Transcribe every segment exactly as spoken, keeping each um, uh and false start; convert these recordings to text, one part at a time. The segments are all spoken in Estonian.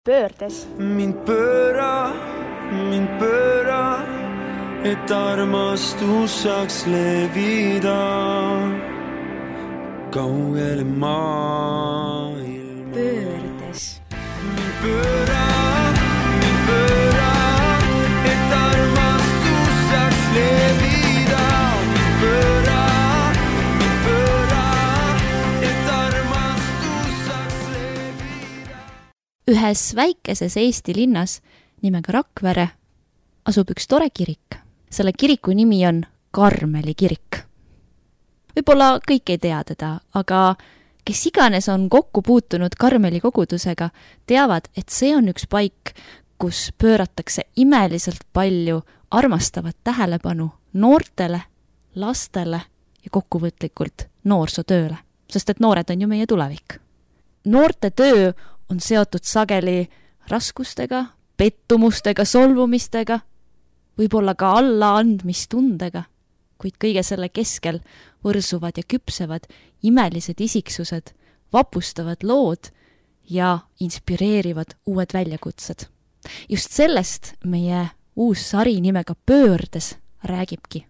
Pöördes. Mind pööra, mind pööra, et armastus saaks levida kaugele maailma. Pöördes. Mind pööra, mind pööra, et armastus saaks levida. Mind pööra, mind pööra, et armastus saaks levida. Ühes väikeses Eesti linnas nimega Rakvere asub üks tore kirik. Selle kiriku nimi on Karmeli kirik. Võib-olla kõik ei tea teda, aga kes iganes on kokku puutunud Karmeli kogudusega, teavad, et see on üks paik, kus pööratakse imeliselt palju armastavat tähelepanu noortele, lastele ja kokkuvõtlikult noorsootööle, sest et noored on ju meie tulevik. Noorte töö on seotud sageli raskustega, pettumustega, solvumistega, võib-olla ka allaandmistundega, kuid kõige selle keskel võrsuvad ja küpsevad imelised isiksused, vapustavad lood ja inspireerivad uued väljakutsed. Just sellest meie uus sari nimega Pöördes räägibki.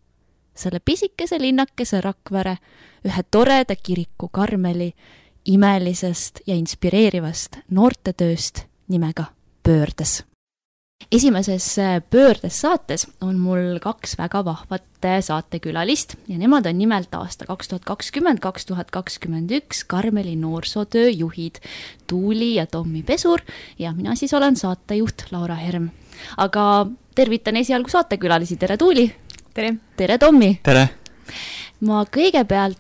Selle pisikese linnakese Rakvere, ühe toreda kiriku Karmeli, imelisest ja inspireerivast noortetööst nimega Pöördes. Esimeses Pöördes saates on mul kaks väga vahvat saatekülalist ja nemad on nimelt aasta kaks tuhat kakskümmend kaks tuhat kakskümmend üks Karmeli noorsootöö juhid Tuuli ja Tommi Pesur ja mina siis olen saatejuht Laura Herm. Aga tervitan esialgu saatekülalisi. Tere Tuuli! Tere! Tere Tommi! Tere! Ma kõigepealt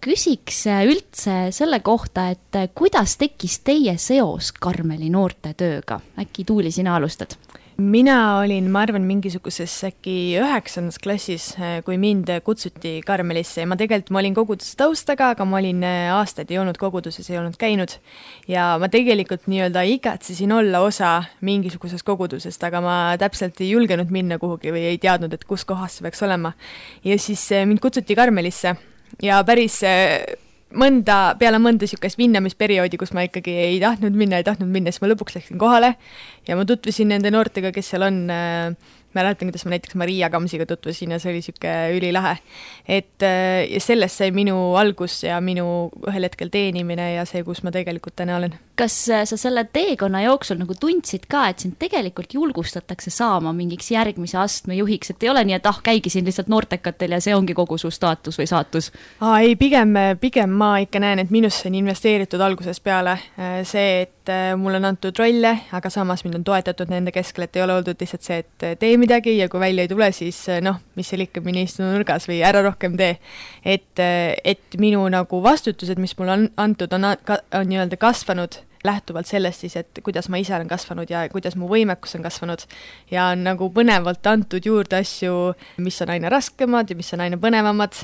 küsiks üldse selle kohta, et kuidas tekkis teie seos Karmeli noortetööga? Äkki Tuuli, sina alustad? Mina olin, ma arvan, mingisuguses äkki üheksandas klassis, kui mind kutsuti Karmelisse. Ma tegelikult ma olin koguduse taustaga, aga ma olin aastaid ei olnud koguduses, ei olnud käinud. Ja ma tegelikult nii-öelda igatsesin olla osa mingisugusest kogudusest, aga ma täpselt ei julgenud minna kuhugi või ei teadnud, et kus kohas see peaks olema. Ja siis mind kutsuti Karmelisse. Ja päris mõnda, peale mõnda sükest vinnamisperioodi, kus ma ikkagi ei tahtnud minna, ei tahtnud minna, siis ma lõpuks läksin kohale ja ma tutvusin nende noortega, kes seal on. Mäletan, kuidas ma näiteks Maria Kamsiga tutvusin ja see oli süke ülilahe. Et ja sellest sai minu algus ja minu ühel hetkel teenimine ja see, kus ma tegelikult täna olen. Kas sa selle teekonna jooksul nagu tundsid ka, et sind tegelikult julgustatakse saama mingiks järgmise astme juhiks, et ei ole nii, et ah, käigi siin lihtsalt noortekatel ja see ongi kogu su staatus või saatus? Aa, ei, pigem, pigem ma ikka näen, et minusse on investeeritud algusest peale see, et mul on antud rolle, aga samas mind on toetatud nende keskel, et ei ole oldud lihtsalt see, et tee midagi ja kui välja ei tule, siis noh, mis seal ikka mine istu nurgas või ära rohkem tee. Et, et minu nagu vastutused, mis mul on antud, on, on nii-öelda kasvanud lähtuvalt sellest siis, et kuidas ma ise olen kasvanud ja kuidas mu võimekus on kasvanud ja on nagu põnevalt antud juurde asju, mis on aina raskemad ja mis on aina põnevamad.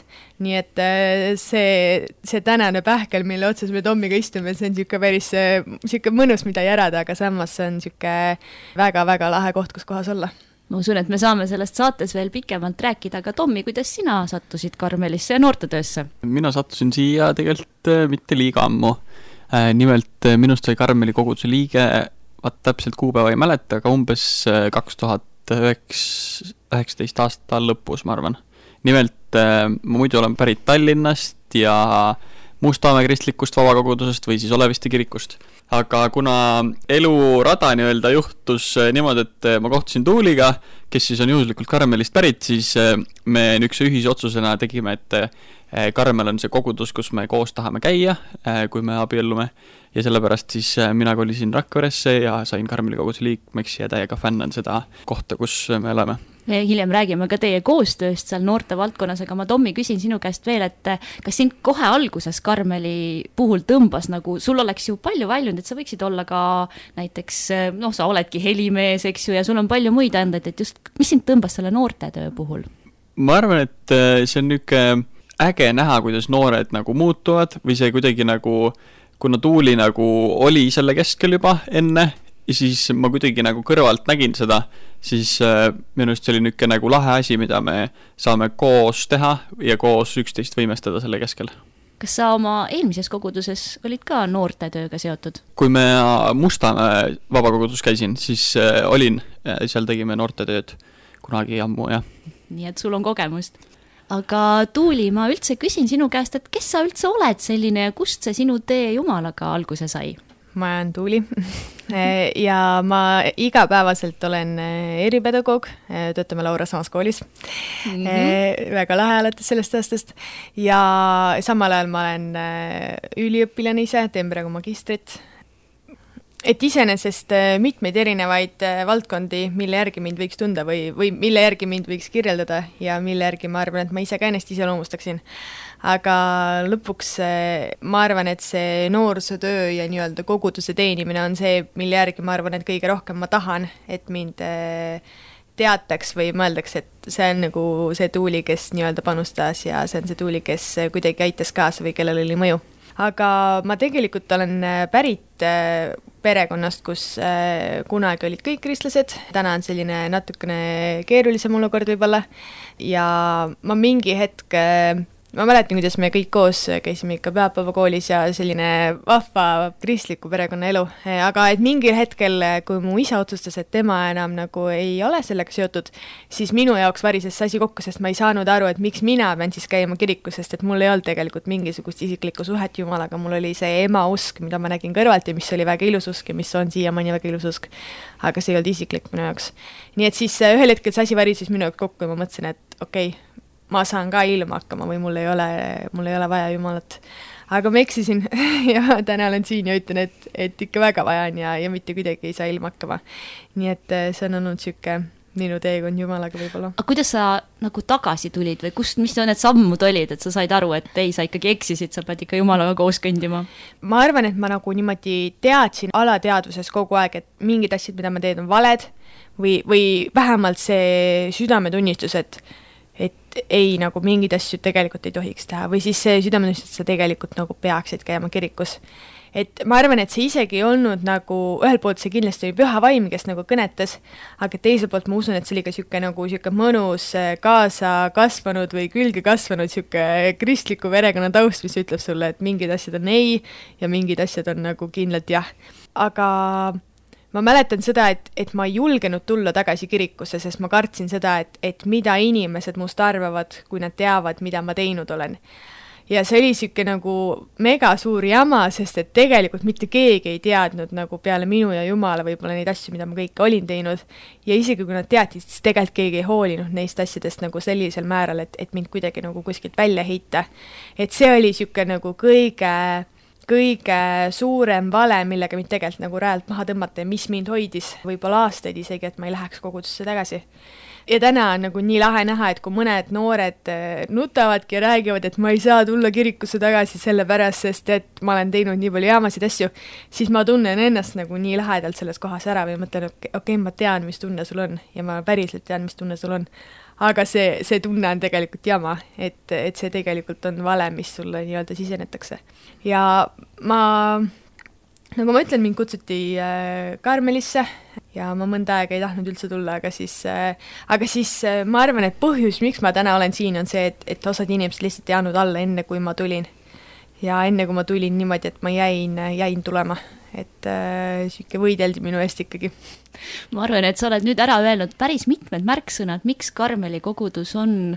Nii et see, see tänane pähkel, mille otsas me Tommiga istume, see on siuke päris siuke mõnus, mida järada, aga samas see on siuke väga-väga lahe koht, kus kohas olla. Ma usun, et me saame sellest saates veel pikemalt rääkida, aga Tommi, kuidas sina sattusid Karmelisse ja noortetöösse? Mina sattusin siia tegelikult mitte liiga ammu. Nimelt minust sai Karmeli koguduse liige, vaat täpselt kuupäeva ei mäleta, aga umbes kaks tuhat üheksateist aasta lõpus, ma arvan. Nimelt ma muidu olen pärit Tallinnast ja Mustamäe kristlikust vabakogudusest või siis Oleviste kirikust. Aga kuna elurada nii-öelda juhtus niimoodi, et ma kohtusin Tuuliga, kes siis on juhuslikult Karmelist pärit, siis me üks ühisotsusena tegime, et Karmel on see kogudus, kus me koos tahame käia, kui me abiellume. Ja sellepärast siis mina kolisin Rakveresse ja sain Karmeli koguduse liikmeks ja täiega fännan seda kohta, kus me oleme. Hiljem räägime ka teie koostööst seal noorte valdkonnas, aga ma Tommi küsin sinu käest veel, et kas sind kohe alguses Karmeli puhul tõmbas, nagu sul oleks ju palju väljund, et sa võiksid olla ka näiteks, noh, sa oledki helimees, eks ju, ja sul on palju muid anded, et just, mis sind tõmbas selle noortetöö puhul? Ma arvan, et see on niuke äge näha, kuidas noored nagu muutuvad või see kuidagi nagu, kuna Tuuli nagu oli selle keskel juba enne, ja siis ma kuidagi nagu kõrvalt nägin seda, siis äh, minu arust see oli niuke nagu lahe asi, mida me saame koos teha ja koos üksteist võimestada selle keskel. kas sa oma eelmises koguduses olid ka noortetööga seotud? Kui me Mustamäe vabakogudus käisin, siis äh, olin, seal tegime noortetööd kunagi ammu, jah. Nii et sul on kogemust. Aga Tuuli, ma üldse küsin sinu käest, et kes sa üldse oled selline ja kust see sinu tee Jumalaga alguse sai? Ma olen Tuuli ja ma igapäevaselt olen eripedagoog, töötame Laura samas koolis. Mm-hmm. Väga lahe alates sellest aastast ja samal ajal ma olen üliõpilane ise, teen praegu magistrit. Et iseenesest mitmeid erinevaid valdkondi, mille järgi mind võiks tunda või, või mille järgi mind võiks kirjeldada ja mille järgi ma arvan, et ma ise ka ennast ise loomustaksin. Aga lõpuks ma arvan, et see noorsootöö ja nii-öelda koguduse teenimine on see, mille järgi ma arvan, et kõige rohkem ma tahan, et mind teataks või mõeldaks, et see on nagu see Tuuli, kes nii-öelda panustas ja see on see Tuuli, kes kuidagi aitas kaasa või kellel oli mõju. Aga ma tegelikult olen pärit perekonnast, kus kunagi olid kõik kristlased, täna on selline natukene keerulisem olukord võib-olla ja ma mingi hetk ma mäletan, kuidas me kõik koos käisime ikka pühapäevakoolis ja selline vahva kristliku perekonna elu, aga et mingil hetkel, kui mu isa otsustas, et tema enam nagu ei ole sellega seotud, siis minu jaoks varises see asi kokku, sest ma ei saanud aru, et miks mina pean siis käima kirikus, sest et mul ei olnud tegelikult mingisugust isiklikku suhet Jumalaga, mul oli see ema usk, mida ma nägin kõrvalt ja mis oli väga ilus usk ja mis on siiamaani väga ilus usk, aga see ei olnud isiklik minu jaoks. Nii et siis ühel hetkel see asi varises minu jaoks kokku ja ma mõtlesin, et okei, okay, ma saan ka ilma hakkama või mul ei ole, mul ei ole vaja Jumalat. Aga ma eksisin ja täna olen siin ja ütlen, et, et ikka väga vaja on ja, ja mitte kuidagi ei saa ilma hakkama. Nii et see on olnud süke minu teekond Jumalaga võib-olla. Aga kuidas sa nagu tagasi tulid või kust, mis need sammud olid, et sa said aru, et ei, sa ikkagi eksisid, sa pead ikka Jumalaga koos kõndima? Ma arvan, et ma nagu niimoodi teadsin alateadvuses kogu aeg, et mingid asjad, mida ma teen, on valed või, või vähemalt see südametunnistus, et et ei, nagu mingid asju tegelikult ei tohiks teha või siis see südametunnistus, et sa tegelikult nagu peaksid käima kirikus. Et ma arvan, et see isegi ei olnud nagu, ühel poolt see kindlasti oli püha vaim, kes nagu kõnetas, aga teisel poolt ma usun, et see oli ka siuke nagu siuke mõnus kaasa kasvanud või külge kasvanud siuke kristliku perekonna taust, mis ütleb sulle, et mingid asjad on ei ja mingid asjad on nagu kindlalt jah. Aga ma mäletan seda, et, et ma ei julgenud tulla tagasi kirikusse, sest ma kartsin seda, et, et mida inimesed must arvavad, kui nad teavad, mida ma teinud olen. Ja see oli siuke nagu mega suur jama, sest et tegelikult mitte keegi ei teadnud nagu peale minu ja Jumala võib-olla neid asju, mida ma kõike olin teinud. Ja isegi kui nad teadsid, siis tegelikult keegi ei hoolinud neist asjadest nagu sellisel määral, et, et mind kuidagi nagu kuskilt välja heita. Et see oli siuke nagu kõige... kõige suurem vale, millega mind tegelikult nagu rajalt maha tõmmata ja mis mind hoidis võib-olla aastaid isegi, et ma ei läheks kogudusse tagasi. Ja täna on nagu nii lahe näha, et kui mõned noored nutavadki ja räägivad, et ma ei saa tulla kirikusse tagasi selle pärast, sest et ma olen teinud nii palju jaamasid asju, siis ma tunnen ennast nagu nii lahedalt selles kohas ära või mõtlen, okei, okay, ma tean, mis tunne sul on ja ma päriselt tean, mis tunne sul on. Aga see, see tunne on tegelikult jama, et, et see tegelikult on vale, mis sulle nii-öelda sisenetakse. Ja ma, nagu ma ütlen, mind kutsuti Karmelisse ja ma mõnda aega ei tahtnud üldse tulla, aga siis, aga siis ma arvan, et põhjus, miks ma täna olen siin, on see, et, et osad inimesed lihtsalt jäänud alla enne, kui ma tulin. Ja enne, kui ma tulin niimoodi, et ma jäin, jäin tulema. Et äh, siuke võideldi minu eest ikkagi. Ma arvan, et sa oled nüüd ära öelnud päris mitmed märksõnad, miks Karmeli kogudus on,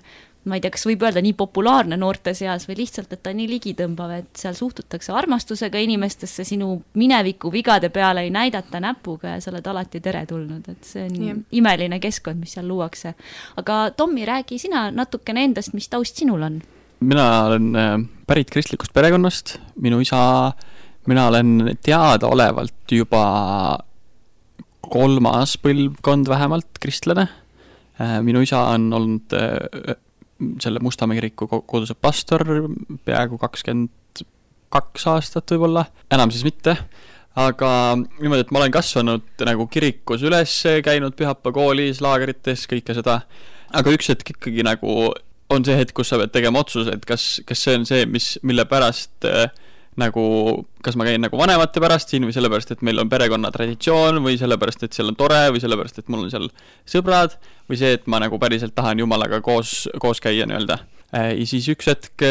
ma ei tea, kas võib öelda nii populaarne noorte seas või lihtsalt, et ta nii ligitõmbav, et seal suhtutakse armastusega inimestesse, sinu mineviku vigade peale ei näidata näpuga ja sa oled alati teretulnud, et see on yeah. imeline keskkond, mis seal luuakse. Aga Tommi, räägi sina natukene endast, mis taust sinul on? Mina olen pärit kristlikust perekonnast, minu isa Mina olen teadaolevalt juba kolmas põlvkond vähemalt kristlane. Minu isa on olnud selle Mustamäe kiriku koguduse pastor peaaegu kakskümmend kaks aastat võib-olla, enam siis mitte. Aga niimoodi, et ma olen kasvanud nagu kirikus üles, käinud pühapäevakoolis, laagerites, kõike seda. Aga üks hetk ikkagi nagu on see hetk, kus sa pead tegema otsuse, et kas, kas see on see, mis, mille pärast nagu, kas ma käin nagu vanemate pärast siin või sellepärast, et meil on perekonna traditsioon või sellepärast, et seal on tore või sellepärast, et mul on seal sõbrad või see, et ma nagu päriselt tahan Jumalaga koos, koos käia nii-öelda. Ja siis üks hetk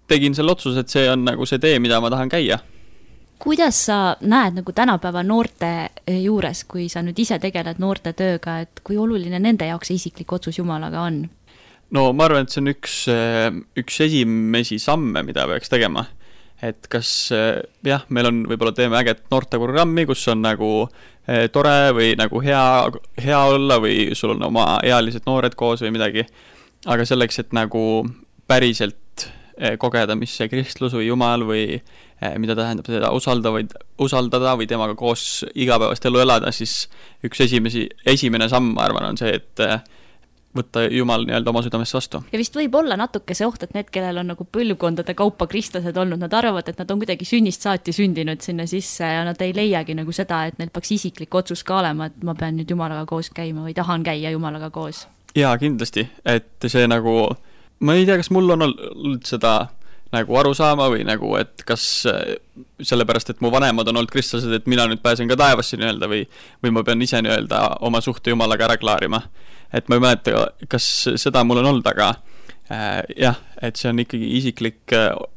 tegin selle otsuse, et see on nagu see tee, mida ma tahan käia. Kuidas sa näed nagu tänapäeva noorte juures, kui sa nüüd ise tegeled noorte tööga, et kui oluline nende jaoks isiklik otsus Jumalaga on? No ma arvan, et see on üks, üks esimesi samme, mida peaks tegema. Et kas, jah, meil on võib-olla teeme äget noorteprogrammi, kus on nagu tore või nagu hea, hea olla või sul on oma ealised noored koos või midagi. Aga selleks, et nagu päriselt kogeda, mis see kristlus või Jumal või mida tähendab seda usaldada või, usaldada või temaga koos igapäevast elu elada, siis üks esimesi, esimene samm, ma arvan, on see, et võtta Jumal nii-öelda oma südamest vastu. Ja vist võib olla natuke see oht, et need, kellel on nagu põlvkondade kaupa kristlased olnud, nad arvavad, et nad on kuidagi sünnist saati sündinud sinna sisse ja nad ei leiagi nagu seda, et neil peaks isiklik otsus ka olema, et ma pean nüüd Jumalaga koos käima või tahan käia Jumalaga koos. Jaa, kindlasti, et see nagu, ma ei tea, kas mul on olnud seda nagu aru saama või nagu, et kas sellepärast, et mu vanemad on olnud kristlased, et mina nüüd pääsen ka taevasse nii-öelda või, või ma pean ise nii-öelda oma suhte Jumalaga ära klaarima. Et ma ei mäleta, kas seda mul on olnud, aga äh, jah, et see on ikkagi isiklik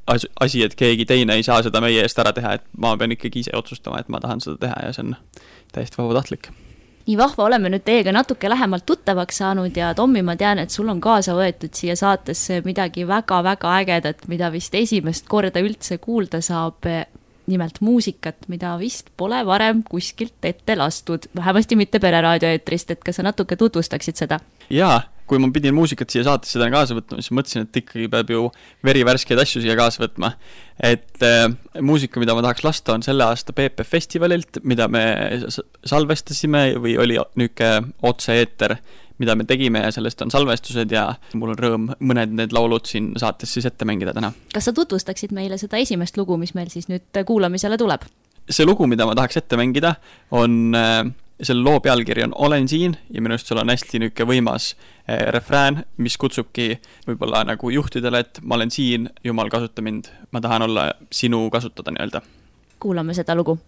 asi, et keegi teine ei saa seda meie eest ära teha, et ma pean ikkagi ise otsustama, et ma tahan seda teha ja see on täiesti vabatahtlik. Nii vahva oleme nüüd teiega natuke lähemalt tuttavaks saanud ja Tommi, ma tean, et sul on kaasa võetud siia saatesse midagi väga-väga ägedat, mida vist esimest korda üldse kuulda saab, nimelt muusikat, mida vist pole varem kuskilt ette lastud, vähemasti mitte pereraadioeetrist, et kas sa natuke tutvustaksid seda? Jaa, kui ma pidin muusikat siia saatesse täna kaasa võtma, siis mõtlesin, et ikkagi peab ju verivärskeid asju siia kaasa võtma. Et äh, muusika, mida ma tahaks lasta, on selle aasta P P festivalilt, mida me salvestasime või oli nüüdke otse-eeter, mida me tegime ja sellest on salvestused ja mul on rõõm mõned need laulud siin saates siis ette mängida täna. Kas sa tutvustaksid meile seda esimest lugu, mis meil siis nüüd kuulamisele tuleb? See lugu, mida ma tahaks ette mängida, on, selle loo pealkiri on Olen siin ja minu arust sul on hästi nüüdke võimas refrään, mis kutsubki võib-olla nagu juhtidele, et ma olen siin, Jumal kasuta mind, ma tahan olla sinu kasutada nii-öelda. Kuulame seda lugu.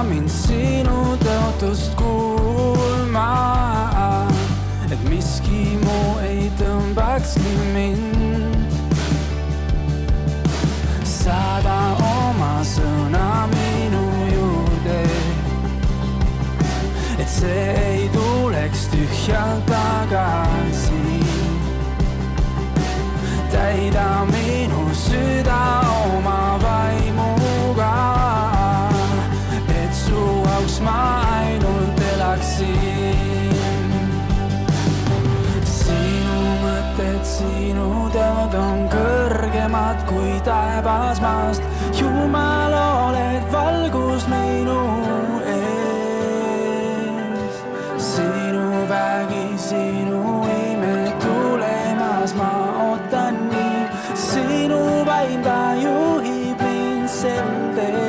Mind sinu tõotust kuulma, et miski muu ei tõmbakski mind. Saada oma sõna minu juurde, et see ei tuleks tühjalt tagasi. Täida minu süda oma vaimuga, ma ainult elaksin. Sinu mõtted, sinu teod on kõrgemad kui taevas maast. Jumal, oled valgus minu ees. Sinu vägi, sinu ime tulemas ma ootan nii. Sinu vaim ta juhib mind sel teel.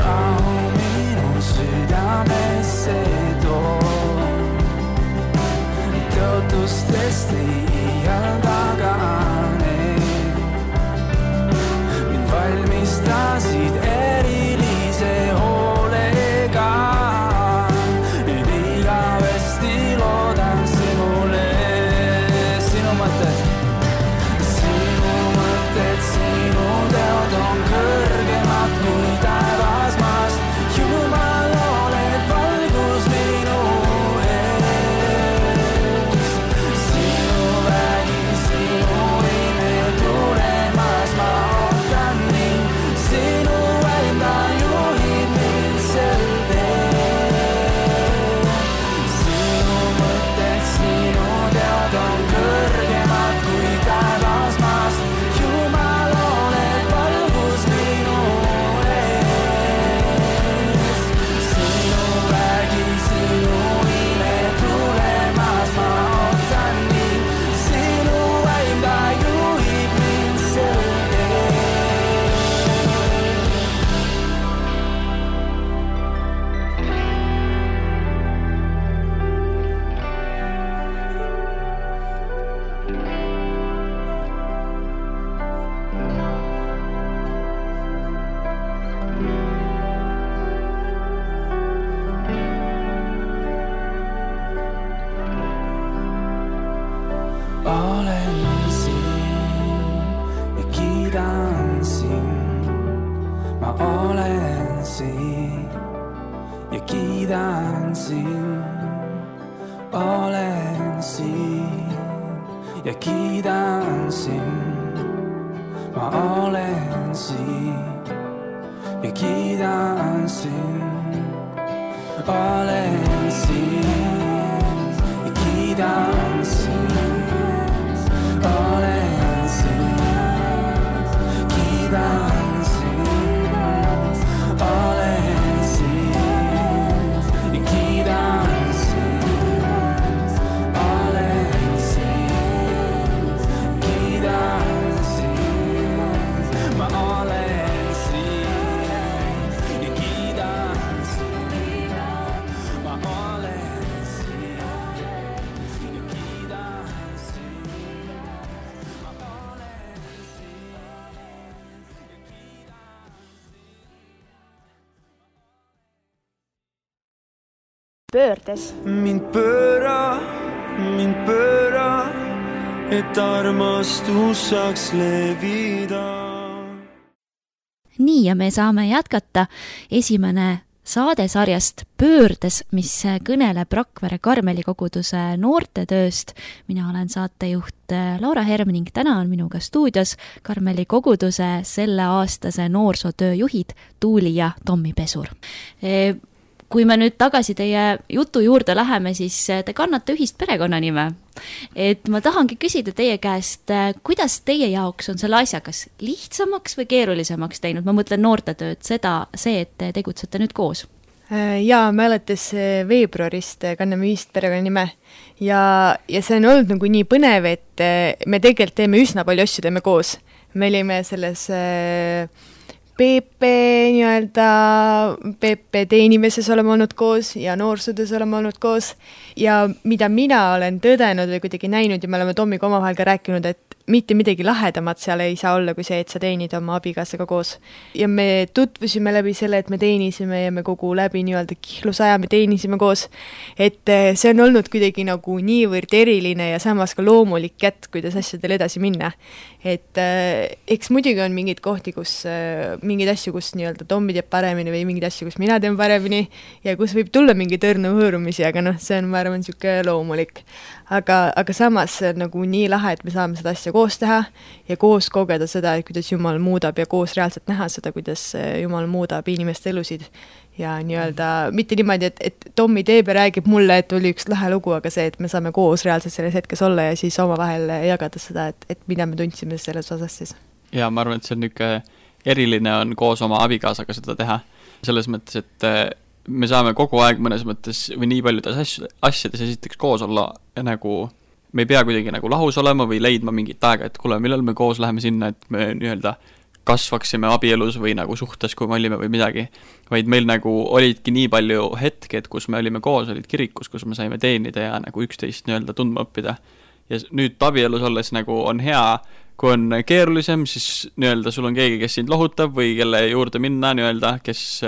Rahu minu südamesse too, tõotustest ei iial tagane. Mind valmistasid erilise hoolega, nüüd igavesti loodan sinule. Sinu mõtted, sinu mõtted, sinu teod on kõrgemad kui taevas maast. Jumal, oled valgus minu ees. Sinu vägi, sinu ime tulemas ma ootan nii. Sinu olen siin ja kiidan sind. Ma olen siin ja kiidan sind. Olen siin ja kiidan sind. Ma olen siin ja kiidan sind. Olen siin ja kiidan sind. Olen siin, kiidan sind. Olen siin ja kiidan sind. Olen siin, kiidan sind. Ma olen siin ja kiidan sind. Ma olen siin ja kiidan sind. Pöördes. Mind pööra, mind pööra, et armastus saaks levida. Nii ja me saame jätkata esimene saadesarjast Pöördes, mis kõneleb Rakvere Karmeli koguduse noortetööst. Mina olen saatejuht Laura Herm ning täna on minuga stuudios Karmeli koguduse selle aastase noorsootöö juhid Tuuli ja Tommi Pesur. Kui me nüüd tagasi teie jutu juurde läheme, siis te kannate ühist perekonnanime. Et ma tahangi küsida teie käest, kuidas teie jaoks on selle asja kas lihtsamaks või keerulisemaks teinud? Ma mõtlen noortetööd, seda, see, et te tegutsete nüüd koos. Jaa, me alates veebruarist kanname ühist perekonnanime ja, ja see on olnud nagu nii põnev, et me tegelikult teeme üsna palju asju, teeme koos. Me olime selles P P nii-öelda P P teenimeses oleme olnud koos ja noorsootöös oleme olnud koos ja mida mina olen tõdenud või kuidagi näinud ja me oleme Tommiga omavahel ka rääkinud, et mitte midagi lahedamat seal ei saa olla kui see, et sa teenid oma abikaasaga koos. Ja me tutvusime läbi selle, et me teenisime ja me kogu läbi nii-öelda kihlusaja me teenisime koos. Et see on olnud kuidagi nagu niivõrd eriline ja samas ka loomulik kätt, kuidas asjadel edasi minna. Et äh, eks muidugi on mingid kohti, kus äh, mingid asju, kus nii-öelda Tommi teeb paremini või mingid asju, kus mina teen paremini ja kus võib tulla mingi tõrnu hõõrumisi, aga noh, see on, ma arvan, siuke loomulik. Aga, aga samas see on nagu nii lahe, et me saame seda asja koos teha ja koos kogeda seda, et kuidas Jumal muudab ja koos reaalselt näha seda, kuidas Jumal muudab inimeste elusid. Ja nii-öelda mitte niimoodi, et, et Tommi teeb ja räägib mulle, et oli üks lahe lugu, aga see, et me saame koos reaalselt selles hetkes olla ja siis oma vahel jagada seda, et, et mida me tundsime selles osas siis. Ja ma arvan, et see on niisugune eriline on koos oma abikaasaga seda teha. Selles mõttes, et me saame kogu aeg mõnes mõttes või nii paljudes asjades esiteks koos olla ja nagu me ei pea kuidagi nagu lahus olema või leidma mingit aega, et kuule, millal me koos läheme sinna, et me nii-öelda kasvaksime abielus või nagu suhtes, kui me olime või midagi, vaid meil nagu olidki nii palju hetked, kus me olime koos, olid kirikus, kus me saime teenida ja nagu üksteist nii-öelda tundma õppida. Ja nüüd abielus olles nagu on hea, kui on keerulisem, siis nii-öelda sul on keegi, kes sind lohutab või kelle juurde minna nii-öelda, kes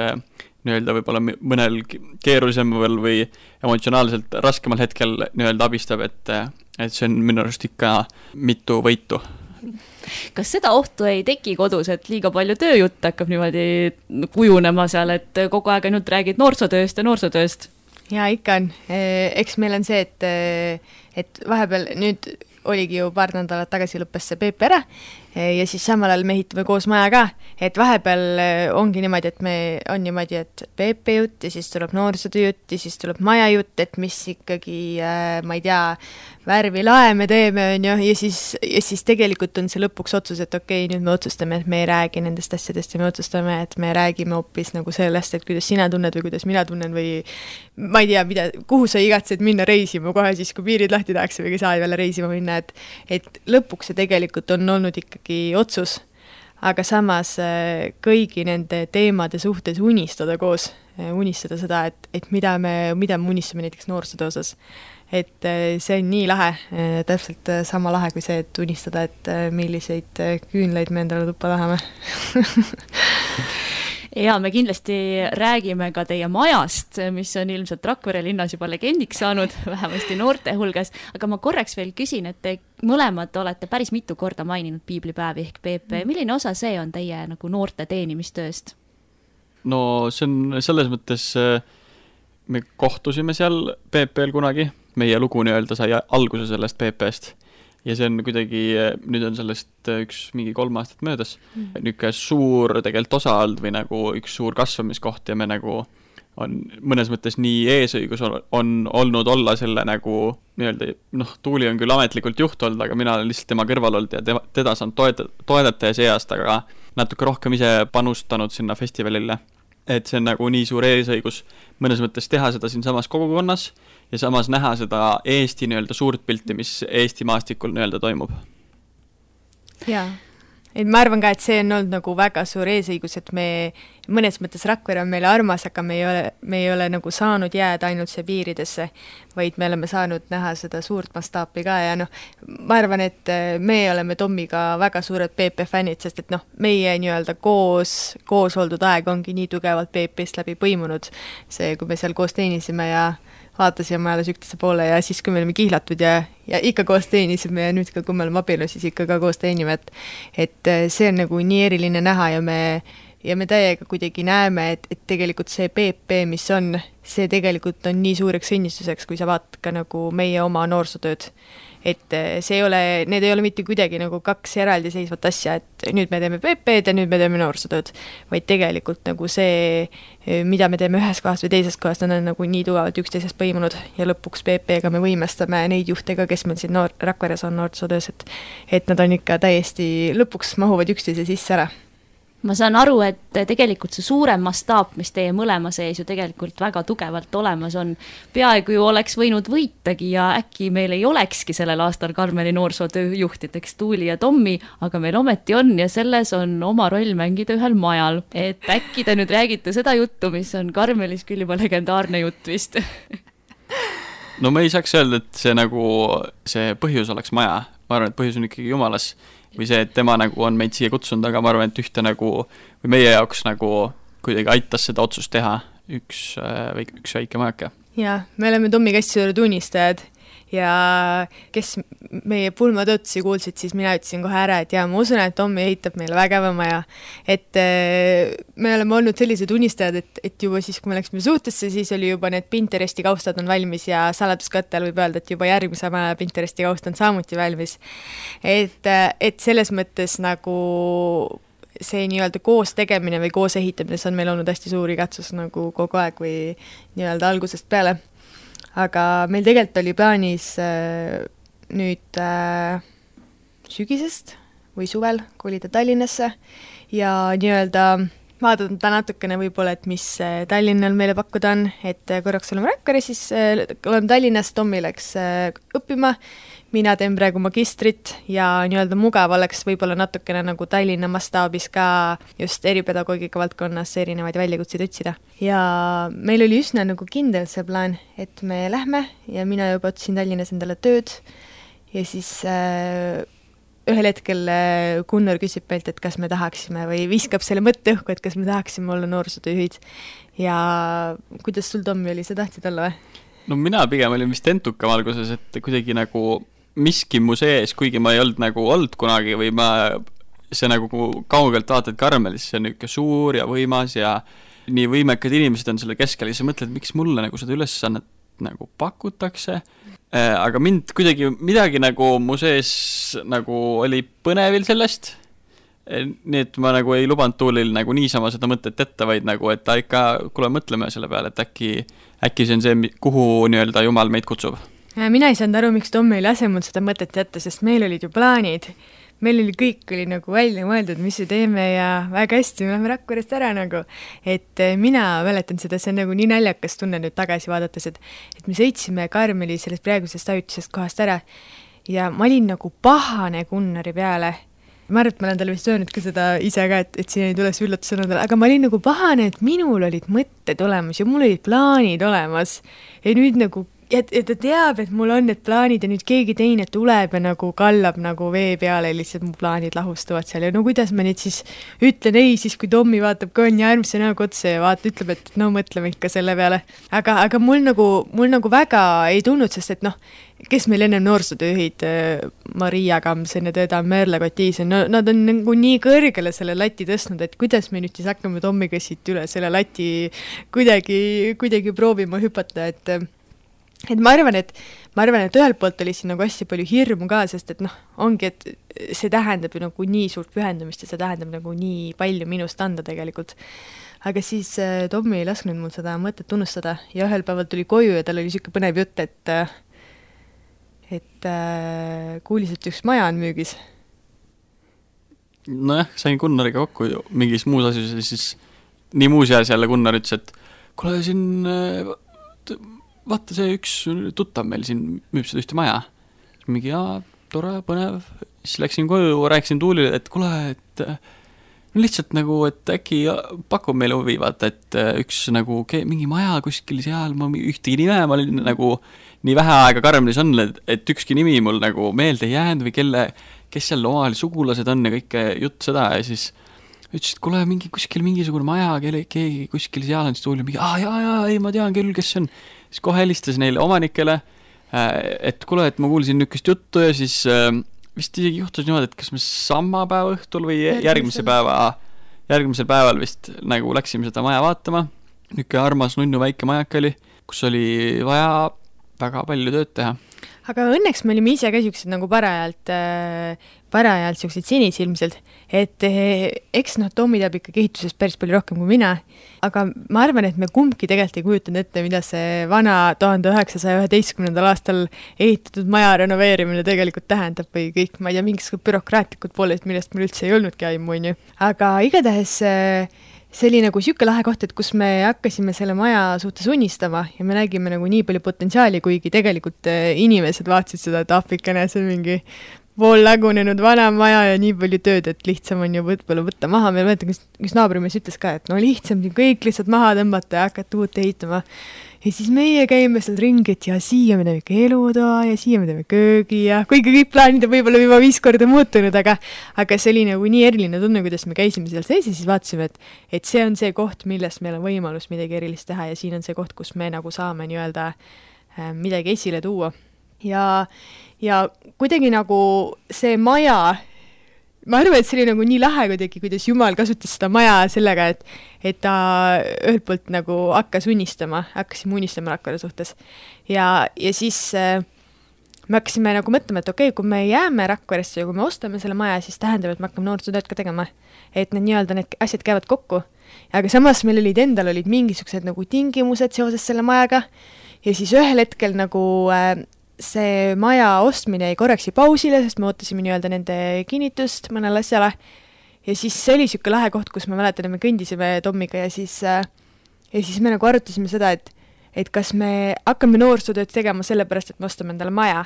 nii-öelda võib-olla mõnel keerulisemal või emotsionaalselt raskemal hetkel nii-öelda abistab, et, et see on minu arust ikka mitu võitu. Kas seda ohtu ei teki kodus, et liiga palju tööjutt hakkab niimoodi kujunema seal, et kogu aeg ainult räägid noorsootööst ja noorsootööst? Ja ikka on. Eks meil on see, et, et vahepeal nüüd oligi ju paar nädalat tagasi lõppes see P P ära ja siis samal ajal me ehitame koos maja ka, et vahepeal ongi niimoodi, et me on niimoodi, et P P jutt ja siis tuleb noorsootöö jutt ja siis tuleb maja jutt, et mis ikkagi, ma ei tea, värvi lae me teeme on ju, ja siis, ja siis tegelikult on see lõpuks otsus, et okei, nüüd me otsustame, et me ei räägi nendest asjadest ja me otsustame, et me räägime hoopis nagu sellest, et kuidas sina tunned või kuidas mina tunnen või ma ei tea, mida, kuhu sa igatsed minna reisima kohe siis, kui piirid lahti tahaks või saad jälle reisima minna, et, et lõpuks see tegelikult on olnud ikkagi otsus, aga samas kõigi nende teemade suhtes unistada koos, unistada seda, et, et mida me, mida me unistame näiteks noorsootöö osas. Et see on nii lahe, täpselt sama lahe kui see, et unistada, et milliseid küünleid me endale tuppa tahame. ja me kindlasti räägime ka teie majast, mis on ilmselt Rakvere linnas juba legendiks saanud, vähemasti noorte hulgas, aga ma korraks veel küsin, et te mõlemad olete päris mitu korda maininud piiblipäevi ehk P P. Milline osa see on teie nagu noorte teenimistööst? No see on selles mõttes, me kohtusime seal P P-l kunagi, meie lugu nii-öelda sai alguse sellest P P-st. Ja see on kuidagi, nüüd on sellest üks mingi kolm aastat möödas, mm. niuke suur tegelikult osa olnud või nagu üks suur kasvamiskoht ja me nagu on mõnes mõttes nii eesõigus on, on olnud olla selle nagu nii-öelda, noh, Tuuli on küll ametlikult juht olnud, aga mina olen lihtsalt tema kõrval olnud ja tema, teda saan toeta, toedata ja see aasta aga natuke rohkem ise panustanud sinna festivalile. Et see on nagu nii suur eesõigus mõnes mõttes teha seda siin samas kogukonnas ja samas näha seda Eesti nii-öelda suurt pilti, mis Eesti maastikul nii-öelda toimub. Jaa, et ma arvan ka, et see on olnud nagu väga suur eesõigus, et me mõnes mõttes Rakvere on meile armas, aga me ei ole, me ei ole nagu saanud jääda ainult see piiridesse, vaid me oleme saanud näha seda suurt mastaapi ka ja noh, ma arvan, et me oleme Tommiga väga suured P P fännid, sest et noh, meie nii-öelda koos, koos oldud aeg ongi nii tugevalt P P-st läbi põimunud. See, kui me seal koos teenisime ja vaatasime alles üksteise poole ja siis, kui me olime kihlatud ja, ja ikka koos teenisime ja nüüd ka, kui me oleme abielu, siis ikka ka koos teenime, et, et see on nagu nii eriline näha ja me ja me täiega kuidagi näeme, et, et tegelikult see P P, mis on, see tegelikult on nii suureks õnnistuseks, kui sa vaatad ka nagu meie oma noorsootööd. Et see ei ole, need ei ole mitte kuidagi nagu kaks eraldi seisvat asja, et nüüd me teeme P P-d ja nüüd me teeme noorsootööd, vaid tegelikult nagu see, mida me teeme ühes kohas või teises kohas, nad on nagu nii tugevalt üksteisest põimunud ja lõpuks P P-ga me võimestame neid juhtega, kes meil siin noor, Rakveres on noorsootöös, et, et nad on ikka täiesti lõpuks mahuvad üksteise sisse ära. Ma saan aru, et tegelikult see suurem mastaap, mis teie mõlema sees ju tegelikult väga tugevalt olemas on, peaaegu ju oleks võinud võitagi ja äkki meil ei olekski sellel aastal Karmeli noorsootööjuhtideks Tuuli ja Tommi, aga meil ometi on ja selles on oma roll mängida ühel majal. Et äkki te nüüd räägite seda juttu, mis on Karmelis küll juba legendaarne jutt vist. No ma ei saaks öelda, et see nagu see põhjus oleks maja. Ma arvan, et põhjus on ikkagi Jumalas. Või see, et tema nagu on meid siia kutsunud, aga ma arvan, et ühte nagu, või meie jaoks nagu kuidagi aitas seda otsust teha üks, üks väike majake. Jaa, me oleme Tommi Kässi-Sõõru tunnistajad ja kes meie pulmatöötusi kuulsid, siis mina ütlesin kohe ära, et jaa, ma usun, et Tommi ehitab meile vägeva maja. Et me oleme olnud sellised tunnistajad, et, et juba siis, kui me läksime suhtesse, siis oli juba need Pinteresti kaustad on valmis ja saladuskattel võib öelda, et juba järgmise maja Pinteresti kaust on samuti valmis. Et, et selles mõttes nagu see nii-öelda koos tegemine või koos ehitamine, see on meil olnud hästi suur igatsus nagu kogu aeg või nii-öelda algusest peale. Aga meil tegelikult oli plaanis äh, nüüd äh, sügisest või suvel kolida Tallinnasse ja nii-öelda vaadata natukene võib-olla, et mis Tallinnal meile pakkuda on, et korraks oleme Rakvere, siis äh, oleme Tallinnas, Tommi läks äh, õppima, mina teen praegu magistrit ja nii-öelda mugav oleks võib-olla natukene nagu Tallinna mastaabis ka just eripedagoogika valdkonnas erinevaid väljakutseid otsida. Ja meil oli üsna nagu kindel see plaan, et me lähme ja mina juba otsin Tallinnas endale tööd ja siis äh, ühel hetkel Gunnar küsib meilt, et kas me tahaksime või viskab selle mõtte õhku, et kas me tahaksime olla noorsootööjuhid. Ja kuidas sul, Tommi, oli, sa tahtsid olla või? No mina pigem olin vist entukam alguses, et kuidagi nagu miski mu sees, kuigi ma ei olnud nagu olnud kunagi või ma see nagu kaugelt vaatad Karmelis, see on niisugune suur ja võimas ja nii võimekad inimesed on selle keskel ja sa mõtled, miks mulle nagu seda ülesannet nagu pakutakse, aga mind kuidagi midagi nagu mu sees nagu oli põnevil sellest, nii et ma nagu ei lubanud Tuulil nagu niisama seda mõtet ette, vaid nagu, et ta ikka, kuule mõtleme selle peale, et äkki, äkki see on see, kuhu nii-öelda Jumal meid kutsub. Mina ei saanud aru, miks Tommi ei lase mul seda mõtet jätta, sest meil olid ju plaanid. Meil oli kõik oli nagu välja mõeldud, mis me teeme ja väga hästi, me oleme Rakverest ära nagu. Et mina mäletan seda, see on nagu nii naljakas tunne nüüd tagasi vaadates, et, et me sõitsime Karmeli sellest praegusest ajutisest kohast ära ja ma olin nagu pahane Gunnari peale. Ma arvan, et ma olen talle vist öelnud ka seda ise ka, et, et siin ei tuleks üllatusõnadele, aga ma olin nagu pahane, et minul olid mõtted olemas ja mul olid plaanid olemas. Ja nüüd nagu ja, ja ta teab, et mul on need plaanid ja nüüd keegi teine tuleb ja nagu kallab nagu vee peale ja lihtsalt mu plaanid lahustuvad seal ja no kuidas ma nüüd siis ütlen ei, siis kui Tommi vaatab ka on järgmise näoga otsa ja vaata, ütleb, et no mõtleme ikka selle peale. Aga, aga mul nagu, mul nagu väga ei tulnud, sest et noh, kes meil enne noorsootööhid, Maria Kamsen ja teda Merle Kotiisen, no nad on nagu nii kõrgele selle lati tõstnud, et kuidas me nüüd siis hakkame Tommiga siit üle selle lati kuidagi, kuidagi proovima hüpata, et et ma arvan, et ma arvan, et ühelt poolt oli siin nagu hästi palju hirmu ka, sest et noh, ongi, et see tähendab ju nagu nii suurt pühendumist ja see tähendab nagu nii palju minust anda tegelikult. Aga siis äh, Tommi ei lasknud mul seda mõtet tunnustada ja ühel päeval tuli koju ja tal oli siuke põnev jutt, et et äh, kuulis, et üks maja on müügis. Nojah, sain Gunnariga kokku mingis muus asjus ja siis nii muus jääs jälle Gunnar ütles, et kuule siin äh, vaata see üks tuttav meil siin müüb seda ühte maja. Mingi, jaa, tore, põnev. Siis läksin koju, rääkisin Tuulile, et kuule, et no lihtsalt nagu, et äkki pakub meile huvi, vaata, et üks nagu mingi maja kuskil seal, ma ühtegi nime, ma olin nagu nii vähe aega Karmelis on, et ükski nimi mul nagu meelde ei jäänud või kelle, kes seal omavahel sugulased on ja kõike jutt seda ja siis ütles, et kuule, mingi kuskil mingisugune maja, kelle, keegi kuskil seal on, siis Tuuli mingi, aa, jaa, jaa, ei, ma tean küll, kes see on. Siis kohe helistas neile omanikele, et kuule, et ma kuulsin nükest juttu ja siis vist isegi juhtus niimoodi, et kas me sama päeva õhtul või järgmise päeva, järgmisel päeval vist nagu läksime seda maja vaatama. Nüke armas nunnu väike majak oli, kus oli vaja väga palju tööd teha. Aga õnneks me olime ise ka siuksed nagu parajalt, parajalt siuksed sinisilmselt, et eks noh, Tommi teab ikka kehitusest päris palju rohkem kui mina, aga ma arvan, et me kumbki tegelikult ei kujutanud ette, mida see vana tuhande üheksasaja üheteistkümnendal aastal ehitatud maja renoveerimine tegelikult tähendab või kõik, ma ei tea, mingisugused bürokraatlikud pooled, millest meil üldse ei olnudki aimu, on ju. Aga igatahes see oli nagu siuke lahe koht, et kus me hakkasime selle maja suhtes unistama ja me nägime nagu nii palju potentsiaali, kuigi tegelikult inimesed vaatasid seda, et Afrikane, see on mingi pool lagunenud vana maja ja nii palju tööd, et lihtsam on ju võtpõllu võtta maha. Meil mõtleta, kus, kus naabrimees ütles ka, et no lihtsam kõik lihtsalt maha tõmbata ja hakata uut ehitama. Ja siis meie käime seal ringi, et ja siia me teeme ikka elutoa ja siia me teeme köögi ja kuigi kõik plaanid on võib-olla juba viis korda muutunud, aga, aga see oli nagu nii eriline tunne, kuidas me käisime seal sees ja siis vaatasime, et, et see on see koht, millest meil on võimalus midagi erilist teha ja siin on see koht, kus me nagu saame nii-öelda äh, midagi esile tuua. Ja, ja kuidagi nagu see maja, ma arvan, et see oli nagu nii lahe kuidagi, kuidas Jumal kasutas seda maja sellega, et, et ta ühelt poolt nagu hakkas unistama, hakkasime unistama Rakvere suhtes. Ja, ja siis äh, me hakkasime nagu mõtlema, et okei, okay, kui me jääme Rakveresse ja kui me ostame selle maja, siis tähendab, et me hakkame noorsootööd ka tegema. Et need nii-öelda need asjad käivad kokku. Aga samas meil olid endal olid mingisugused nagu tingimused seoses selle majaga ja siis ühel hetkel nagu äh, see maja ostmine ei korreksi pausile, sest me ootasime nii-öelda nende kinnitust mõnele asjale ja siis see oli siuke lahe koht, kus me mäletan, me kõndisime Tommiga ja siis, ja siis me nagu arutasime seda, et, et kas me hakkame noorsootööd tegema sellepärast, et me ostame endale maja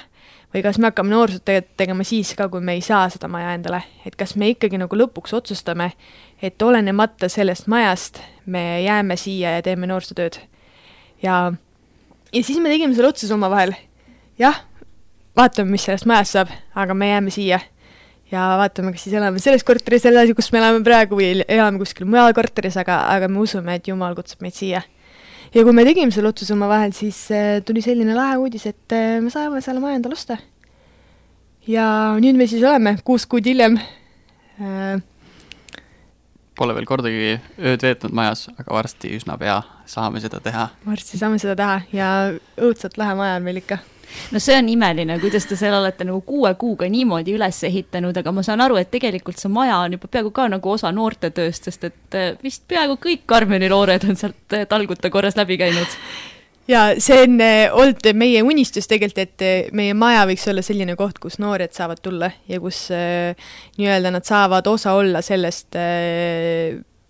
või kas me hakkame noorsootööd tegema siis ka, kui me ei saa seda maja endale, et kas me ikkagi nagu lõpuks otsustame, et olenemata sellest majast me jääme siia ja teeme noorsootööd ja, ja siis me tegime selle otsuse oma vahel. Jah, vaatame, mis sellest majast saab, aga me jääme siia ja vaatame, kas siis elame selles korteris edasi, kus me elame praegu või elame kuskil mujal korteris, aga, aga me usume, et Jumal kutsub meid siia. Ja kui me tegime selle otsuse oma vahel, siis tuli selline lahe uudis, et me saame selle maja endale osta. Ja nüüd me siis oleme kuus kuud hiljem. Pole veel kordagi ööd veetnud majas, aga varsti üsna pea saame seda teha. Varsti saame seda teha ja õudselt lahe maja on meil ikka. No see on imeline, kuidas te seal olete nagu kuue kuuga niimoodi üles ehitanud, aga ma saan aru, et tegelikult see maja on juba peaaegu ka nagu osa noortetööst, sest et vist peaaegu kõik Karmeli noored on sealt talguta korras läbi käinud. Ja see on olnud meie unistus tegelikult, et meie maja võiks olla selline koht, kus noored saavad tulla ja kus nii-öelda nad saavad osa olla sellest,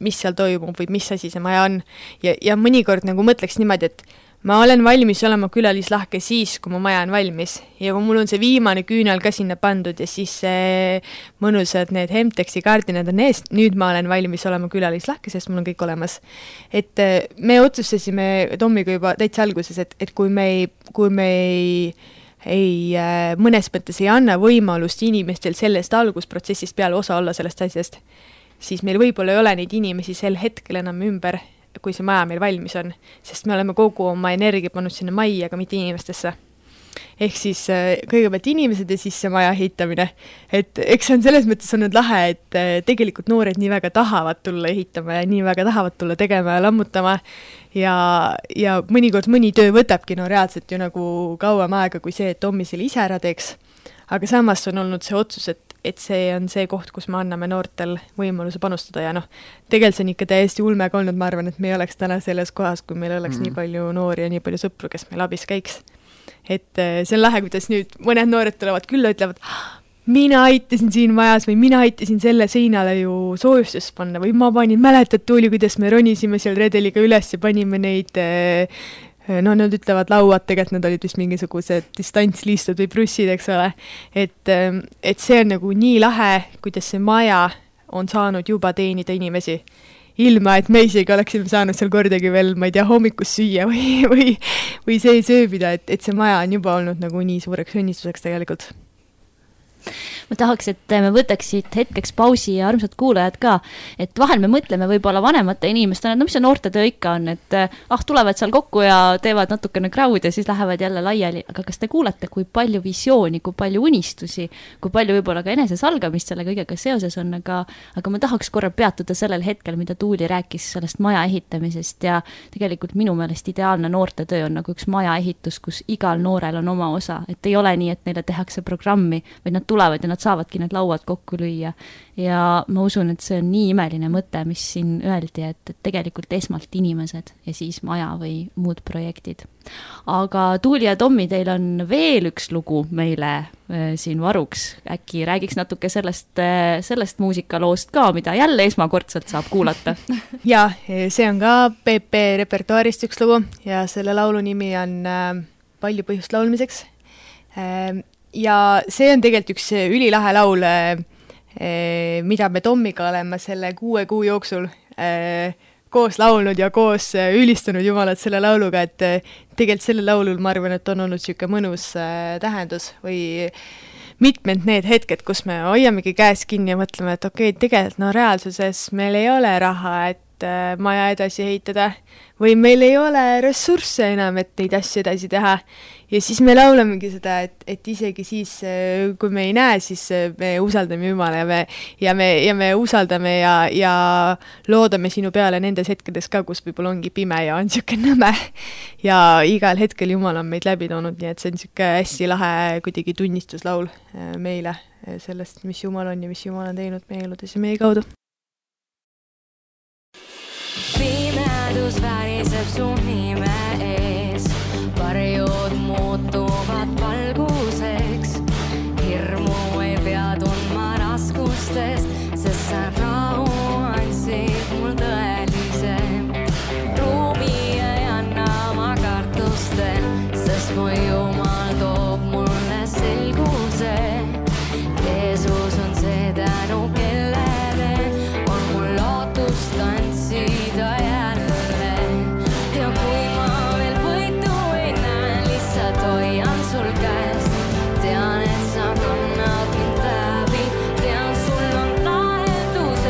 mis seal toimub või mis asi see maja on. Ja, ja mõnikord nagu mõtleks niimoodi, et ma olen valmis olema külalislahke siis, kui mu maja on valmis ja kui mul on see viimane küünal ka sinna pandud ja siis see mõnusad need Hemtexi kaardinad on eest, nüüd ma olen valmis olema külalislahke, sest mul on kõik olemas. Et me otsustasime Tommiga juba täitsa alguses, et, et kui me ei, kui me ei, ei mõnes mõttes ei anna võimalust inimestel sellest algusprotsessist peale osa olla sellest asjast, siis meil võib-olla ei ole neid inimesi sel hetkel enam ümber, kui see maja meil valmis on, sest me oleme kogu oma energia pannud sinna majja, aga mitte inimestesse. Ehk siis kõigepealt inimesed ja siis see maja ehitamine. Et eks on selles mõttes olnud lahe, et tegelikult noored nii väga tahavad tulla ehitama ja nii väga tahavad tulla tegema ja lammutama ja, ja mõnikord mõni töö võtabki no reaalselt ju nagu kauem aega kui see, et Tommi selle ise ära teeks. Aga samas on olnud see otsus, et et see on see koht, kus me anname noortel võimaluse panustada ja noh, tegelikult see on ikka täiesti ulmega olnud, ma arvan, et me ei oleks täna selles kohas, kui meil oleks mm. nii palju noori ja nii palju sõpru, kes meil abis käiks. Et see on lahe, kuidas nüüd mõned noored tulevad külla, ütlevad, mina aitasin siin majas või mina aitasin selle seinale ju soojustust panna või ma panin, mäletad tuuli, kuidas me ronisime seal redeliga üles ja panime neid no nad ütlevad lauad, tegelikult nad olid vist mingisugused distantsliistud või brussid, eks ole. Et, et see on nagu nii lahe, kuidas see maja on saanud juba teenida inimesi. Ilma, et me isegi oleksime saanud seal kordagi veel, ma ei tea, hommikus süüa või, või, või see sööbida, et, et see maja on juba olnud nagu nii suureks õnnistuseks tegelikult. Ma tahaks, et me võtaksid hetkeks pausi ja armsad kuulajad ka, et vahel me mõtleme võib-olla vanemate inimestena, no mis see noorte töö ikka on, et ah, tulevad seal kokku ja teevad natukene crowd ja siis lähevad jälle laiali, aga kas te kuulete, kui palju visiooni, kui palju unistusi, kui palju võib-olla ka enesesalgamist selle kõigega seoses on, aga, aga ma tahaks korra peatuda sellel hetkel, mida Tuuli rääkis sellest maja ehitamisest ja tegelikult minu meelest ideaalne noorte töö on nagu üks maja ehitus, kus igal noorel on oma osa, et ei ole nii, et neile tehakse programmi, vaid nad tulevad ja nad saavadki need lauad kokku lüüa. Ja ma usun, et see on nii imeline mõte, mis siin öeldi, et tegelikult esmalt inimesed ja siis maja või muud projektid. Aga Tuuli ja Tommi, teil on veel üks lugu meile äh, siin varuks. Äkki räägiks natuke sellest, äh, sellest muusikaloost ka, mida jälle esmakordselt saab kuulata. Ja, see on ka P P repertuaarist üks lugu ja selle laulu nimi on äh, Palju põhjust laulmiseks. Äh, Ja see on tegelikult üks ülilahe laul, mida me Tommiga oleme selle kuue kuu jooksul koos laulnud ja koos ülistanud Jumalat selle lauluga, et tegelikult selle laulul ma arvan, et on olnud siuke mõnus tähendus või mitmed need hetked, kus me hoiamegi käes kinni ja mõtleme, et okei, okay, tegelikult no reaalsuses meil ei ole raha, et maja edasi ehitada või meil ei ole ressursse enam, et neid asju edasi teha. Ja siis me laulamegi seda, et, et isegi siis, kui me ei näe, siis me usaldame Jumala ja me, ja me, ja me usaldame ja, ja loodame sinu peale nendes hetkedes ka, kus võib-olla ongi pime ja on siuke nõme. Ja igal hetkel Jumal on meid läbi toonud, nii et see on siuke hästi lahe kuidagi tunnistuslaul meile sellest, mis Jumal on ja mis Jumal on teinud meie eludes ja meie kaudu. Pimedus väriseb su nime ees, varjud muutuvad valguseks, hirmu ei pea tundma raskustes, sest sa rahu andsid mul tõelise. Ruumi ei anna ma kartustel, sest mu Jumal toob mulle selguse. Jeesus on see tänu kellele, on mul lootust tantsida jälle. Ja kui ma veel võitu ei näe, lihtsalt hoian sul käest. Tean, et sa kannad mind läbi, tean, sul on lahendus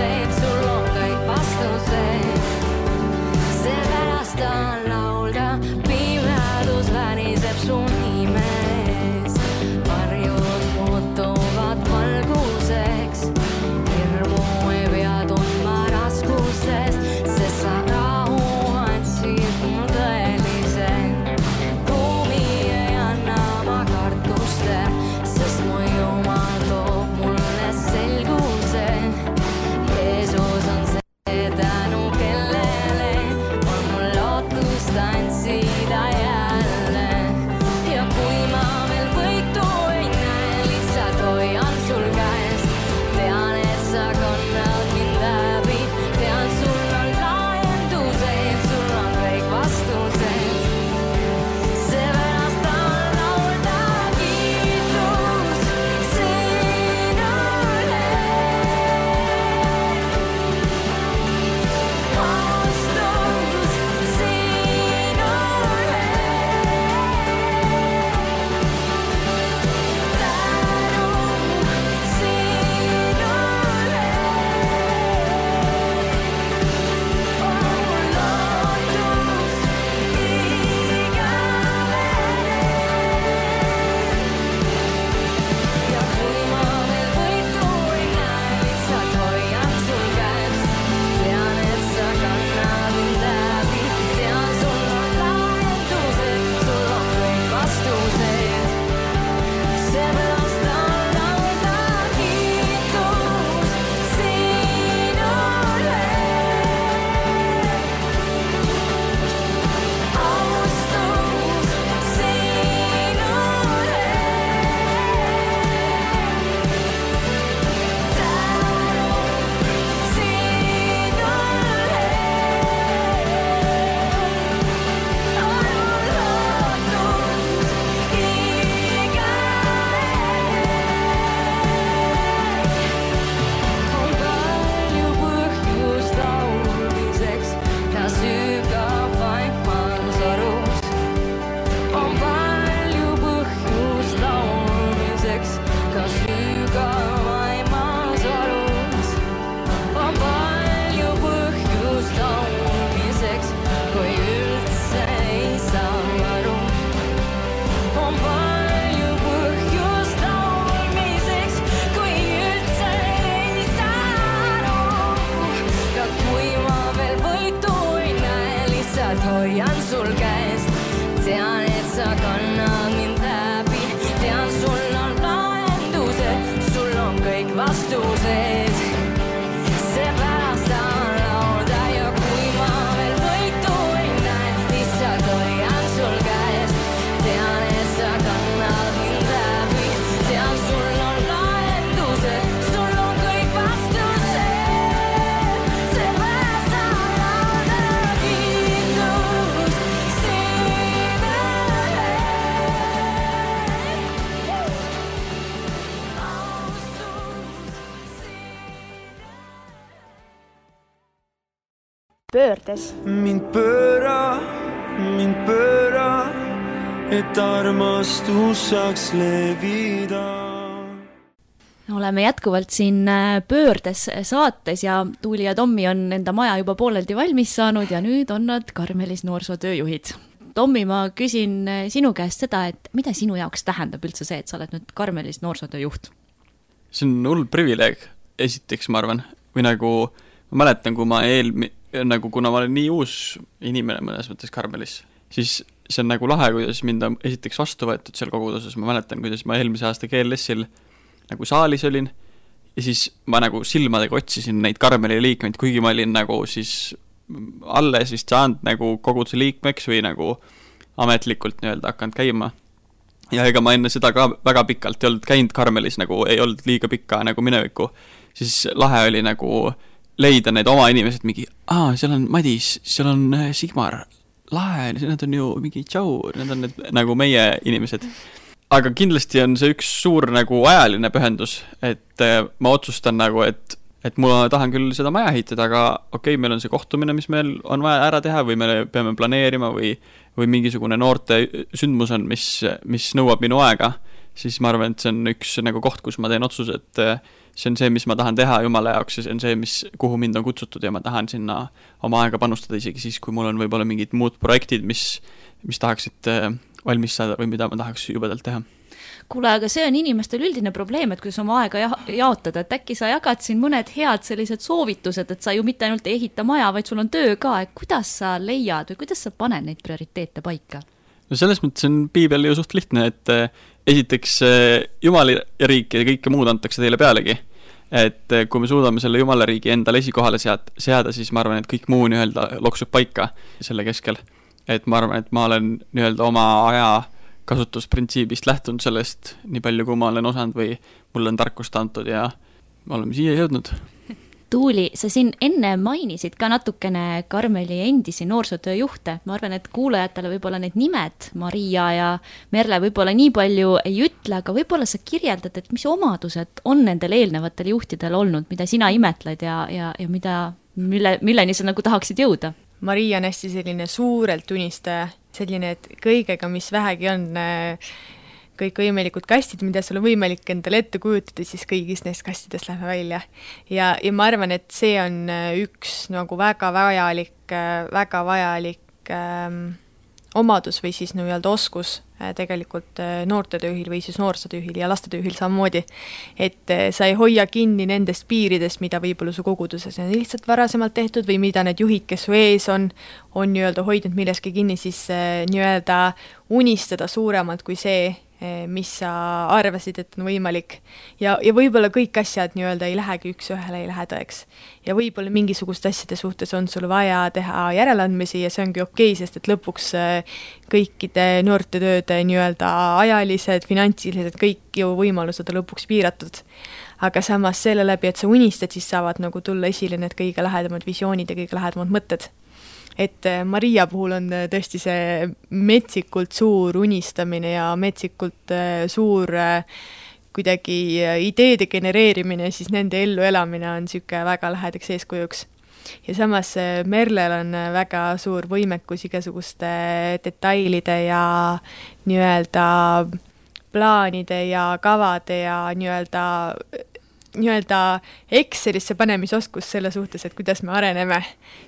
hoian sul käest. Tean, et sa kannad mind läbi. Tean, sul on lahendused, sul on kõik vastused. Seepärast tahan laulda ja kui ma veel võitu ei näe, lihtsalt hoian sul käest. Tean, et sa kannad mind läbi. Tean, sul on lahendused, sul on kõik vastused. Seepärast tahan laulda kiitus sinule. Pöördes. mind pööra, mind pööra, et armastus saaks levida. Oleme jätkuvalt siin Pöördes saates ja Tuuli ja Tommi on enda maja juba pooleldi valmis saanud ja nüüd on nad Karmelis noorsootööjuhid. Tommi, ma küsin sinu käest seda, et mida sinu jaoks tähendab üldse see, et sa oled nüüd Karmelis noorsootööjuht? See on hull privileeg, esiteks ma arvan, või nagu ma mäletan, kui ma eel, nagu kuna ma olen nii uus inimene mõnes mõttes Karmelis, siis see on nagu lahe, kuidas mind on esiteks vastu võetud seal koguduses. Ma mäletan, kuidas ma eelmise aasta G L S-il nagu saalis olin ja siis ma nagu silmadega otsisin neid Karmeli liikmeid, kuigi ma olin nagu siis alles vist saanud nagu koguduse liikmeks või nagu ametlikult nii-öelda hakanud käima. Ja ega ma enne seda ka väga pikalt ei olnud käinud Karmelis, nagu ei olnud liiga pikka nagu mineviku. Siis lahe oli nagu leida need oma inimesed mingi, aa, seal on Madis, seal on Sigmar, lahe, need on ju mingi tšau, need on need, nagu meie inimesed. Aga kindlasti on see üks suur nagu ajaline pühendus, et ma otsustan nagu, et, et ma tahan küll seda maja ehitada, aga okei, meil on see kohtumine, mis meil on vaja ära teha või me peame planeerima või, või mingisugune noorte sündmus on, mis, mis nõuab minu aega, siis ma arvan, et see on üks nagu koht, kus ma teen otsuse, et see on see, mis ma tahan teha Jumala jaoks ja see on see, mis, kuhu mind on kutsutud ja ma tahan sinna oma aega panustada isegi siis, kui mul on võib-olla mingid muud projektid, mis, mis tahaksid valmis saada või mida ma tahaks jubedalt teha. Kuule, aga see on inimestel üldine probleem, et kuidas oma aega ja- jaotada, et äkki sa jagad siin mõned head sellised soovitused, et sa ju mitte ainult ei ehita maja, vaid sul on töö ka, et kuidas sa leiad või kuidas sa paned neid prioriteete paika? No selles mõttes on piibel ju suht lihtne, et esiteks Jumala riik ja kõike muud antakse teile pealegi. Et kui me suudame selle Jumala riigi endale esikohale sead, seada, siis ma arvan, et kõik muu nii-öelda loksub paika selle keskel. Et ma arvan, et ma olen nii-öelda oma aja kasutusprintsiibist lähtunud sellest nii palju, kui ma olen osanud või mul on tarkust antud ja me oleme siia jõudnud. Tuuli, sa siin enne mainisid ka natukene Karmeli endisi noorsootööjuhte. Ma arvan, et kuulajatele võib-olla need nimed, Maria ja Merle võib-olla nii palju ei ütle, aga võib-olla sa kirjeldad, et mis omadused on nendel eelnevatel juhtidel olnud, mida sina imetled ja, ja, ja mida, mille, milleni sa nagu tahaksid jõuda? Maria on hästi selline suurelt unistaja, selline, et kõigega, mis vähegi on, kõik võimalikud kastid, mida sul on võimalik endale ette kujutada, siis kõigist neist kastidest läheme välja. Ja, ja ma arvan, et see on üks nagu väga vajalik, väga vajalik ähm, omadus või siis nii-öelda oskus äh, tegelikult äh, noortetööhil või siis noorsootööhil ja lastetööhil samamoodi, et äh, sa ei hoia kinni nendest piiridest, mida võib-olla su koguduses on lihtsalt varasemalt tehtud või mida need juhid, kes su ees on, on nii-öelda hoidnud milleski kinni, siis äh, nii-öelda unistada suuremalt kui see, mis sa arvasid, et on võimalik. Ja, ja võib-olla kõik asjad nii-öelda ei lähegi üks ühele, ei lähe tõeks. Ja võib-olla mingisugust asjade suhtes on sul vaja teha järeleandmisi ja see ongi okei, sest et lõpuks kõikide noortetööde nii-öelda ajalised, finantsilised, kõik ju võimalused on lõpuks piiratud. Aga samas selle läbi, et sa unistad, siis saavad nagu tulla esile need kõige lähedamad visioonid ja kõige lähedamad mõtted. Et Maria puhul on tõesti see metsikult suur unistamine ja metsikult suur kuidagi ideede genereerimine, siis nende ellu elamine on siuke väga lähedaks eeskujuks. Ja samas Merlel on väga suur võimekus igasuguste detailide ja nii-öelda plaanide ja kavade ja nii-öelda nii-öelda Excelisse panemisoskus selle suhtes, et kuidas me areneme.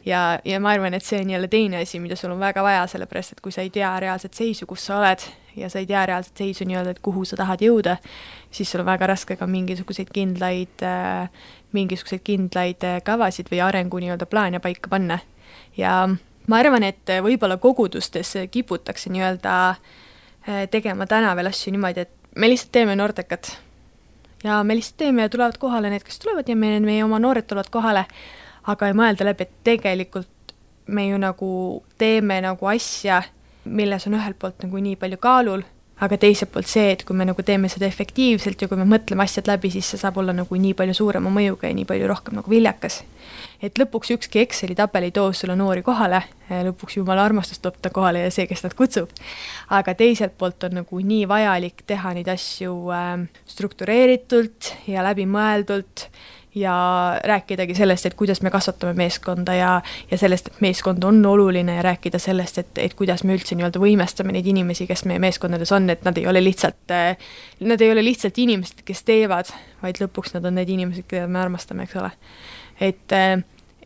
Ja, ja ma arvan, et see on jälle teine asi, mida sul on väga vaja, sellepärast, et kui sa ei tea reaalset seisu, kus sa oled, ja sa ei tea reaalset seisu nii-öelda, et kuhu sa tahad jõuda, siis sul on väga raske ka mingisuguseid kindlaid, mingisuguseid kindlaid kavasid või arengu nii-öelda plaane paika panna. Ja ma arvan, et võib-olla kogudustes kiputakse nii-öelda tegema täna veel asju niimoodi, et me lihtsalt teeme noortekad ja me lihtsalt teeme ja tulevad kohale need, kes tulevad ja meie, meie oma noored tulevad kohale, aga ei mõelda läbi, et tegelikult me ju nagu teeme nagu asja, milles on ühelt poolt nagu nii palju kaalul, aga teiselt poolt see, et kui me nagu teeme seda efektiivselt ja kui me mõtleme asjad läbi, siis see saab olla nagu nii palju suurema mõjuga ja nii palju rohkem nagu viljakas. Et lõpuks ükski Exceli tabel ei too sulle noori kohale, lõpuks jumala armastus toob ta kohale ja see, kes nad kutsub. Aga teiselt poolt on nagu nii vajalik teha neid asju struktureeritult ja läbimõeldult ja rääkidagi sellest, et kuidas me kasvatame meeskonda ja, ja sellest, et meeskond on oluline ja rääkida sellest, et, et kuidas me üldse nii-öelda võimestame neid inimesi, kes meie meeskondades on, et nad ei ole lihtsalt, nad ei ole lihtsalt inimesed, kes teevad, vaid lõpuks nad on need inimesed, keda me armastame, eks ole. Et,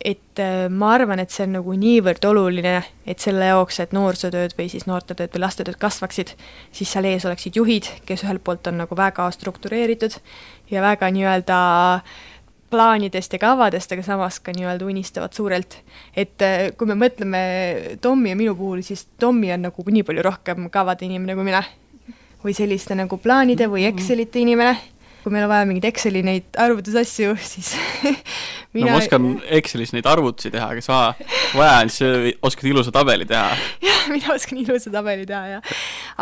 et ma arvan, et see on nagu niivõrd oluline, et selle jaoks, et noorsootööd või siis noortetööd või lastetööd kasvaksid, siis seal ees oleksid juhid, kes ühelt poolt on nagu väga struktureeritud ja väga nii-öelda plaanidest ja kavadest, aga samas ka nii-öelda unistavad suurelt. Et kui me mõtleme Tommi ja minu puhul, siis Tommi on nagu nii palju rohkem kavade inimene kui mina. Või selliste nagu plaanide või Excelite inimene. Kui meil on vaja mingid Exceli neid arvutusasju, siis mina... No ma oskan Excelis neid arvutusi teha, aga sa vaja on, siis oskad ilusa tabeli teha. Jah, mina oskan ilusa tabeli teha, jah.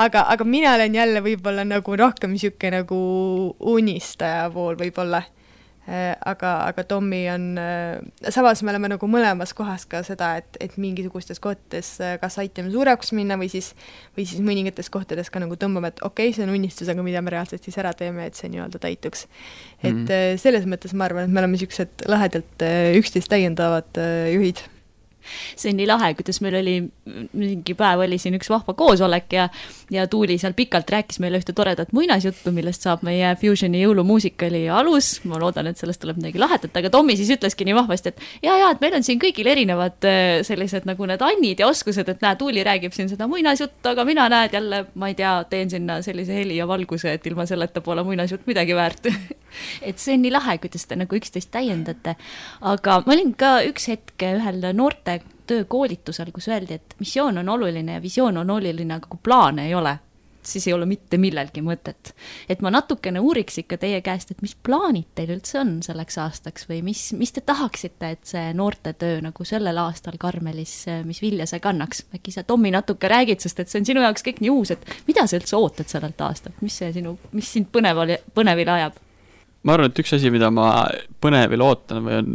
Aga, aga mina olen jälle võib-olla nagu rohkem siuke nagu unistaja pool võib-olla. Aga, aga Tommi on, samas me oleme nagu mõlemas kohas ka seda, et, et mingisugustes kohtades kas aitame suureks minna või siis, või siis mõningates kohtades ka nagu tõmbame, et okei, okay, see on unistus, aga mida me reaalselt siis ära teeme, et see nii-öelda täituks. Et mm-hmm. selles mõttes ma arvan, et me oleme siuksed lahedalt üksteist täiendavad juhid. See on nii lahe, kuidas meil oli mingi päev oli siin üks vahva koosolek ja, ja Tuuli seal pikalt rääkis meile ühte toredat muinasjuttu, millest saab meie Fusioni jõulumuusikali alus. Ma loodan, et sellest tuleb midagi lahetat, aga Tommi siis ütleski nii vahvasti, et ja, ja, et meil on siin kõigil erinevad sellised nagu need annid ja oskused, et näe, Tuuli räägib siin seda muinasjuttu, aga mina näed jälle, ma ei tea, teen sinna sellise heli ja valguse, et ilma selleta pole muinasjutt midagi väärt. Et see on nii lahe, kuidas te nagu üksteist täiendate. Aga ma olin ka üks hetk ühel noorte töökoolitusel, kus öeldi, et missioon on oluline ja visioon on oluline, aga kui plaane ei ole, siis ei ole mitte millelgi mõtet. Et ma natukene uuriks ikka teie käest, et mis plaanid teil üldse on selleks aastaks või mis, mis te tahaksite, et see noorte töö nagu sellel aastal Karmelis, mis vilja see kannaks? Äkki sa, Tommi, natuke räägid, sest et see on sinu jaoks kõik nii uus, et mida sa üldse ootad sellelt aastalt? Mis see sinu, mis sind põneval, põnevil ajab? Ma arvan, et üks asi, mida ma põnevil ootan või on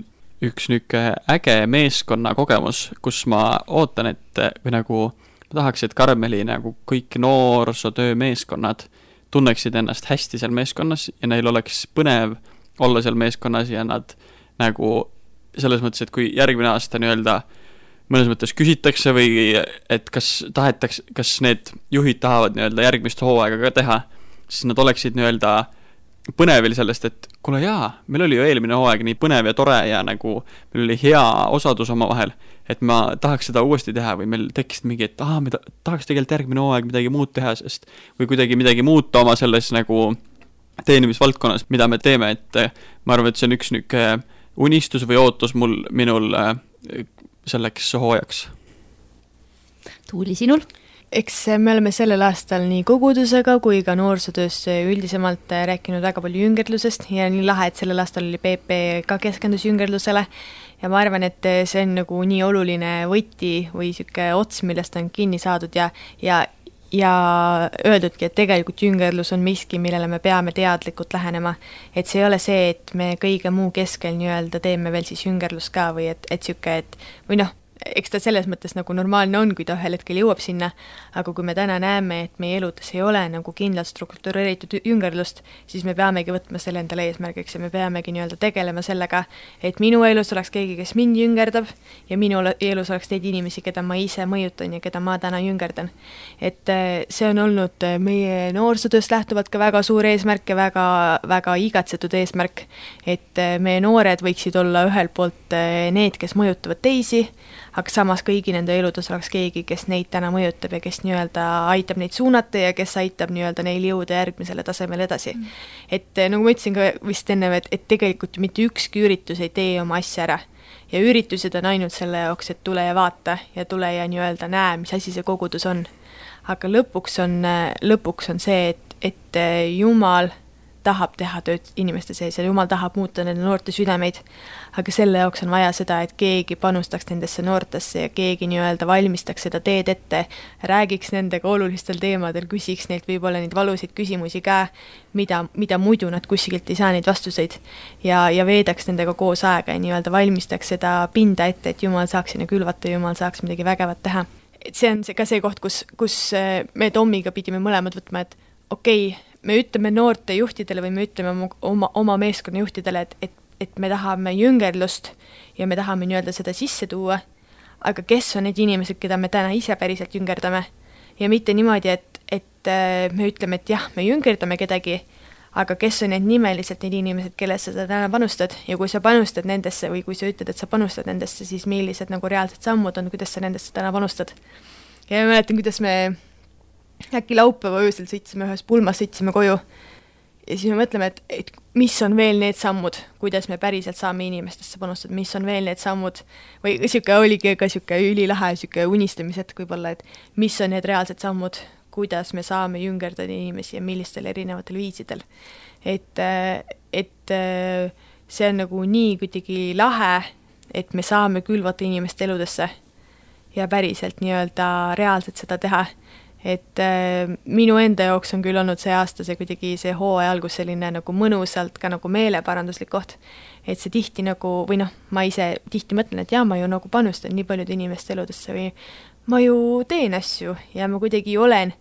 üks nüke äge meeskonna kogemus, kus ma ootan, et või nagu ma tahaks, et Karmeli nagu kõik noorsootöö meeskonnad tunneksid ennast hästi seal meeskonnas ja neil oleks põnev olla seal meeskonnas ja nad nagu selles mõttes, et kui järgmine aasta nii-öelda mõnes mõttes küsitakse või et kas tahetaks, kas need juhid tahavad nii-öelda järgmist hooaega ka teha, siis nad oleksid nii-öelda põnevil sellest, et kuule jaa, meil oli ju eelmine hooaeg nii põnev ja tore ja nagu meil oli hea osadus oma vahel, et ma tahaks seda uuesti teha või meil tekkisid mingi, et aha, me tahaks tegelikult järgmine hooaeg midagi muud teha, sest või kuidagi midagi muuta oma selles nagu teenimisvaldkonnas, mida me teeme, et ma arvan, et see on üks nüke unistus või ootus mul, minul selleks hooajaks. Tuuli, sinul? Eks me oleme sellel aastal nii kogudusega kui ka noorsootöös üldisemalt rääkinud väga palju jüngerlusest ja nii lahe, et sellel aastal oli P P ka keskendus jüngerlusele ja ma arvan, et see on nagu nii oluline võti või siuke ots, millest on kinni saadud ja, ja, ja öeldudki, et tegelikult jüngerlus on miski, millele me peame teadlikult lähenema, et see ei ole see, et me kõige muu keskel nii-öelda teeme veel siis jüngerlus ka või et, et siuke, et või noh, eks ta selles mõttes nagu normaalne on, kui ta ühel hetkel jõuab sinna, aga kui me täna näeme, et meie eludes ei ole nagu kindlalt struktureeritud jüngerlust, siis me peamegi võtma selle endale eesmärgiks ja me peamegi nii-öelda tegelema sellega, et minu elus oleks keegi, kes mind jüngerdab ja minu elus oleks teid inimesi, keda ma ise mõjutan ja keda ma täna jüngerdan. Et see on olnud meie noorsootööst lähtuvalt ka väga suur eesmärk ja väga, väga igatsetud eesmärk, et meie noored võiksid olla ühel poolt need, kes mõjutavad teisi, aga samas kõigi nende eludes oleks keegi, kes neid täna mõjutab ja kes nii-öelda aitab neid suunata ja kes aitab nii-öelda neil jõuda järgmisele tasemele edasi mm.. et nagu ma ütlesin ka vist enne, et, et tegelikult mitte ükski üritus ei tee oma asja ära ja üritused on ainult selle jaoks, et tule ja vaata ja tule ja nii-öelda näe, mis asi see kogudus on. Aga lõpuks on, lõpuks on see, et, et Jumal tahab teha tööd inimeste sees ja Jumal tahab muuta nende noorte südameid, aga selle jaoks on vaja seda, et keegi panustaks nendesse noortesse ja keegi nii-öelda valmistaks seda teed ette, räägiks nendega olulistel teemadel, küsiks neilt võib-olla neid valusid küsimusi ka, mida, mida muidu nad kuskilt ei saa neid vastuseid ja, ja veedaks nendega koos aega ja nii-öelda valmistaks seda pinda ette, et Jumal saaks sinna külvata, Jumal saaks midagi vägevat teha. Et see on see, ka see koht, kus, kus me Tommiga pidime mõlemad võtma, et okei, okay, me ütleme noorte juhtidele või me ütleme oma, oma meeskonna juhtidele, et, et, et me tahame jüngerlust ja me tahame nii-öelda seda sisse tuua, aga kes on need inimesed, keda me täna ise päriselt jüngerdame ja mitte niimoodi, et, et me ütleme, et jah, me jüngerdame kedagi, aga kes on need nimeliselt need inimesed, kellesse sa täna panustad ja kui sa panustad nendesse või kui sa ütled, et sa panustad nendesse, siis millised nagu reaalsed sammud on, kuidas sa nendesse täna panustad. Ja ma mäletan, kuidas me äkki laupäeva öösel sõitsime ühes pulmas, sõitsime koju ja siis me mõtleme, et, et mis on veel need sammud, kuidas me päriselt saame inimestesse panustada, mis on veel need sammud või siuke oligi ka siuke ülilahe siuke unistamised võib-olla, et mis on need reaalsed sammud, kuidas me saame jüngerdada inimesi ja millistel erinevatel viisidel. Et, et see on nagu nii kuidagi lahe, et me saame külvata inimeste eludesse ja päriselt nii-öelda reaalselt seda teha. Et äh, minu enda jaoks on küll olnud see aasta see kuidagi see hooaja algus selline nagu mõnusalt ka nagu meeleparanduslik koht, et see tihti nagu, või noh, ma ise tihti mõtlen, et jaa, ma ju nagu panustan nii paljude inimeste eludesse või ma ju teen asju ja ma kuidagi olen,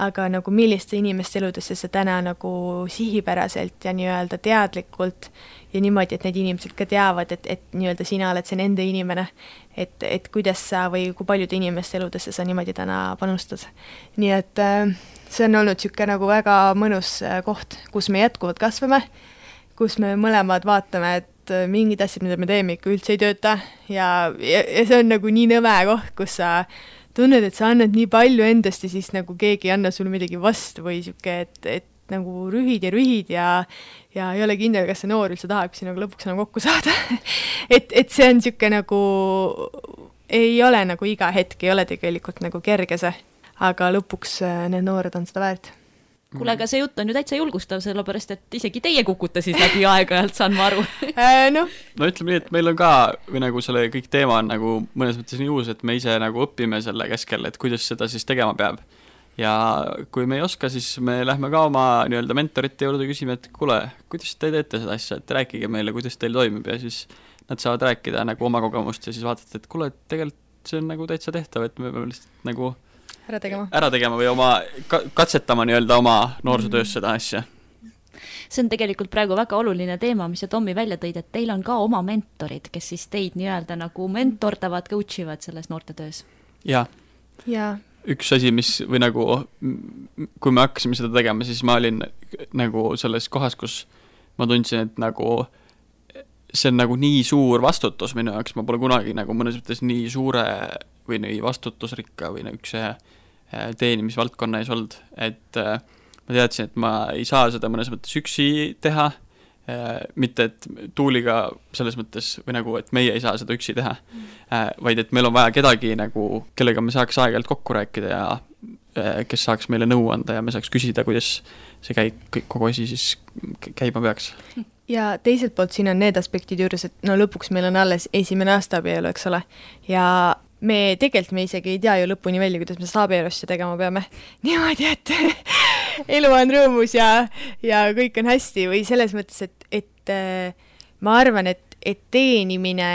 aga nagu milliste inimeste eludesse see täna nagu sihipäraselt ja nii-öelda teadlikult ja niimoodi, et need inimesed ka teavad, et, et nii-öelda sina oled see nende inimene, et, et kuidas sa või kui paljude inimeste eludesse sa niimoodi täna panustad. Nii et äh, see on olnud siuke nagu väga mõnus koht, kus me jätkuvalt kasvame, kus me mõlemad vaatame, et mingid asjad, mida me teeme, ikka üldse ei tööta ja, ja, ja see on nagu nii nõme koht, kus sa tunned, et sa annad nii palju endast ja siis nagu keegi ei anna sulle midagi vastu või siuke, et, et nagu rühid ja rühid ja, ja ei ole kindel, kas see noor üldse tahab siin nagu lõpuks enam kokku saada. et, et see on siuke nagu, ei ole nagu iga hetk, ei ole tegelikult nagu kerge see, aga lõpuks need noored on seda väärt. Kuule, aga see jutt on ju täitsa julgustav, sellepärast, et isegi teie kukute siis läbi aega-ajalt, saan ma aru. no. no ütleme nii, et meil on ka, või nagu selle kõik teema on nagu mõnes mõttes nii uus, et me ise nagu õpime selle keskel, et kuidas seda siis tegema peab. Ja kui me ei oska, siis me lähme ka oma nii-öelda mentorite juurde küsime, et kuule, kuidas te teete seda asja, et rääkige meile, kuidas teil toimib ja siis nad saavad rääkida nagu oma kogemust ja siis vaatate, et kuule, tegelikult see on nagu täitsa tehtav, et me peame lihtsalt nagu ära tegema, ära tegema või oma katsetama nii-öelda oma noorsootöös seda asja. See on tegelikult praegu väga oluline teema, mis sa Tommi välja tõid, et teil on ka oma mentorid, kes siis teid nii-öelda nagu mentordavad, coach ivad selles noortetöös. Jaa. Jaa. Üks asi, mis või nagu, kui me hakkasime seda tegema, siis ma olin nagu selles kohas, kus ma tundsin, et nagu see on nagu nii suur vastutus minu jaoks, ma pole kunagi nagu mõnes mõttes nii suure või nii vastutusrikka või üks teenimisvaldkonna ees olnud, et ma teadsin, et ma ei saa seda mõnes mõttes üksi teha, mitte et Tuuliga selles mõttes või nagu, et meie ei saa seda üksi teha, vaid et meil on vaja kedagi nagu, kellega me saaks aeg-ajalt kokku rääkida ja kes saaks meile nõu anda ja me saaks küsida, kuidas see käib, kogu asi siis käima peaks. Ja teiselt poolt siin on need aspektid juures, et no lõpuks meil on alles esimene aasta abielu, eks ole, ja me tegelikult me isegi ei tea ju lõpuni välja, kuidas me seda abielusse tegema peame. Niimoodi, et elu on rõõmus ja, ja kõik on hästi või selles mõttes, et, et ma arvan, et, et teenimine,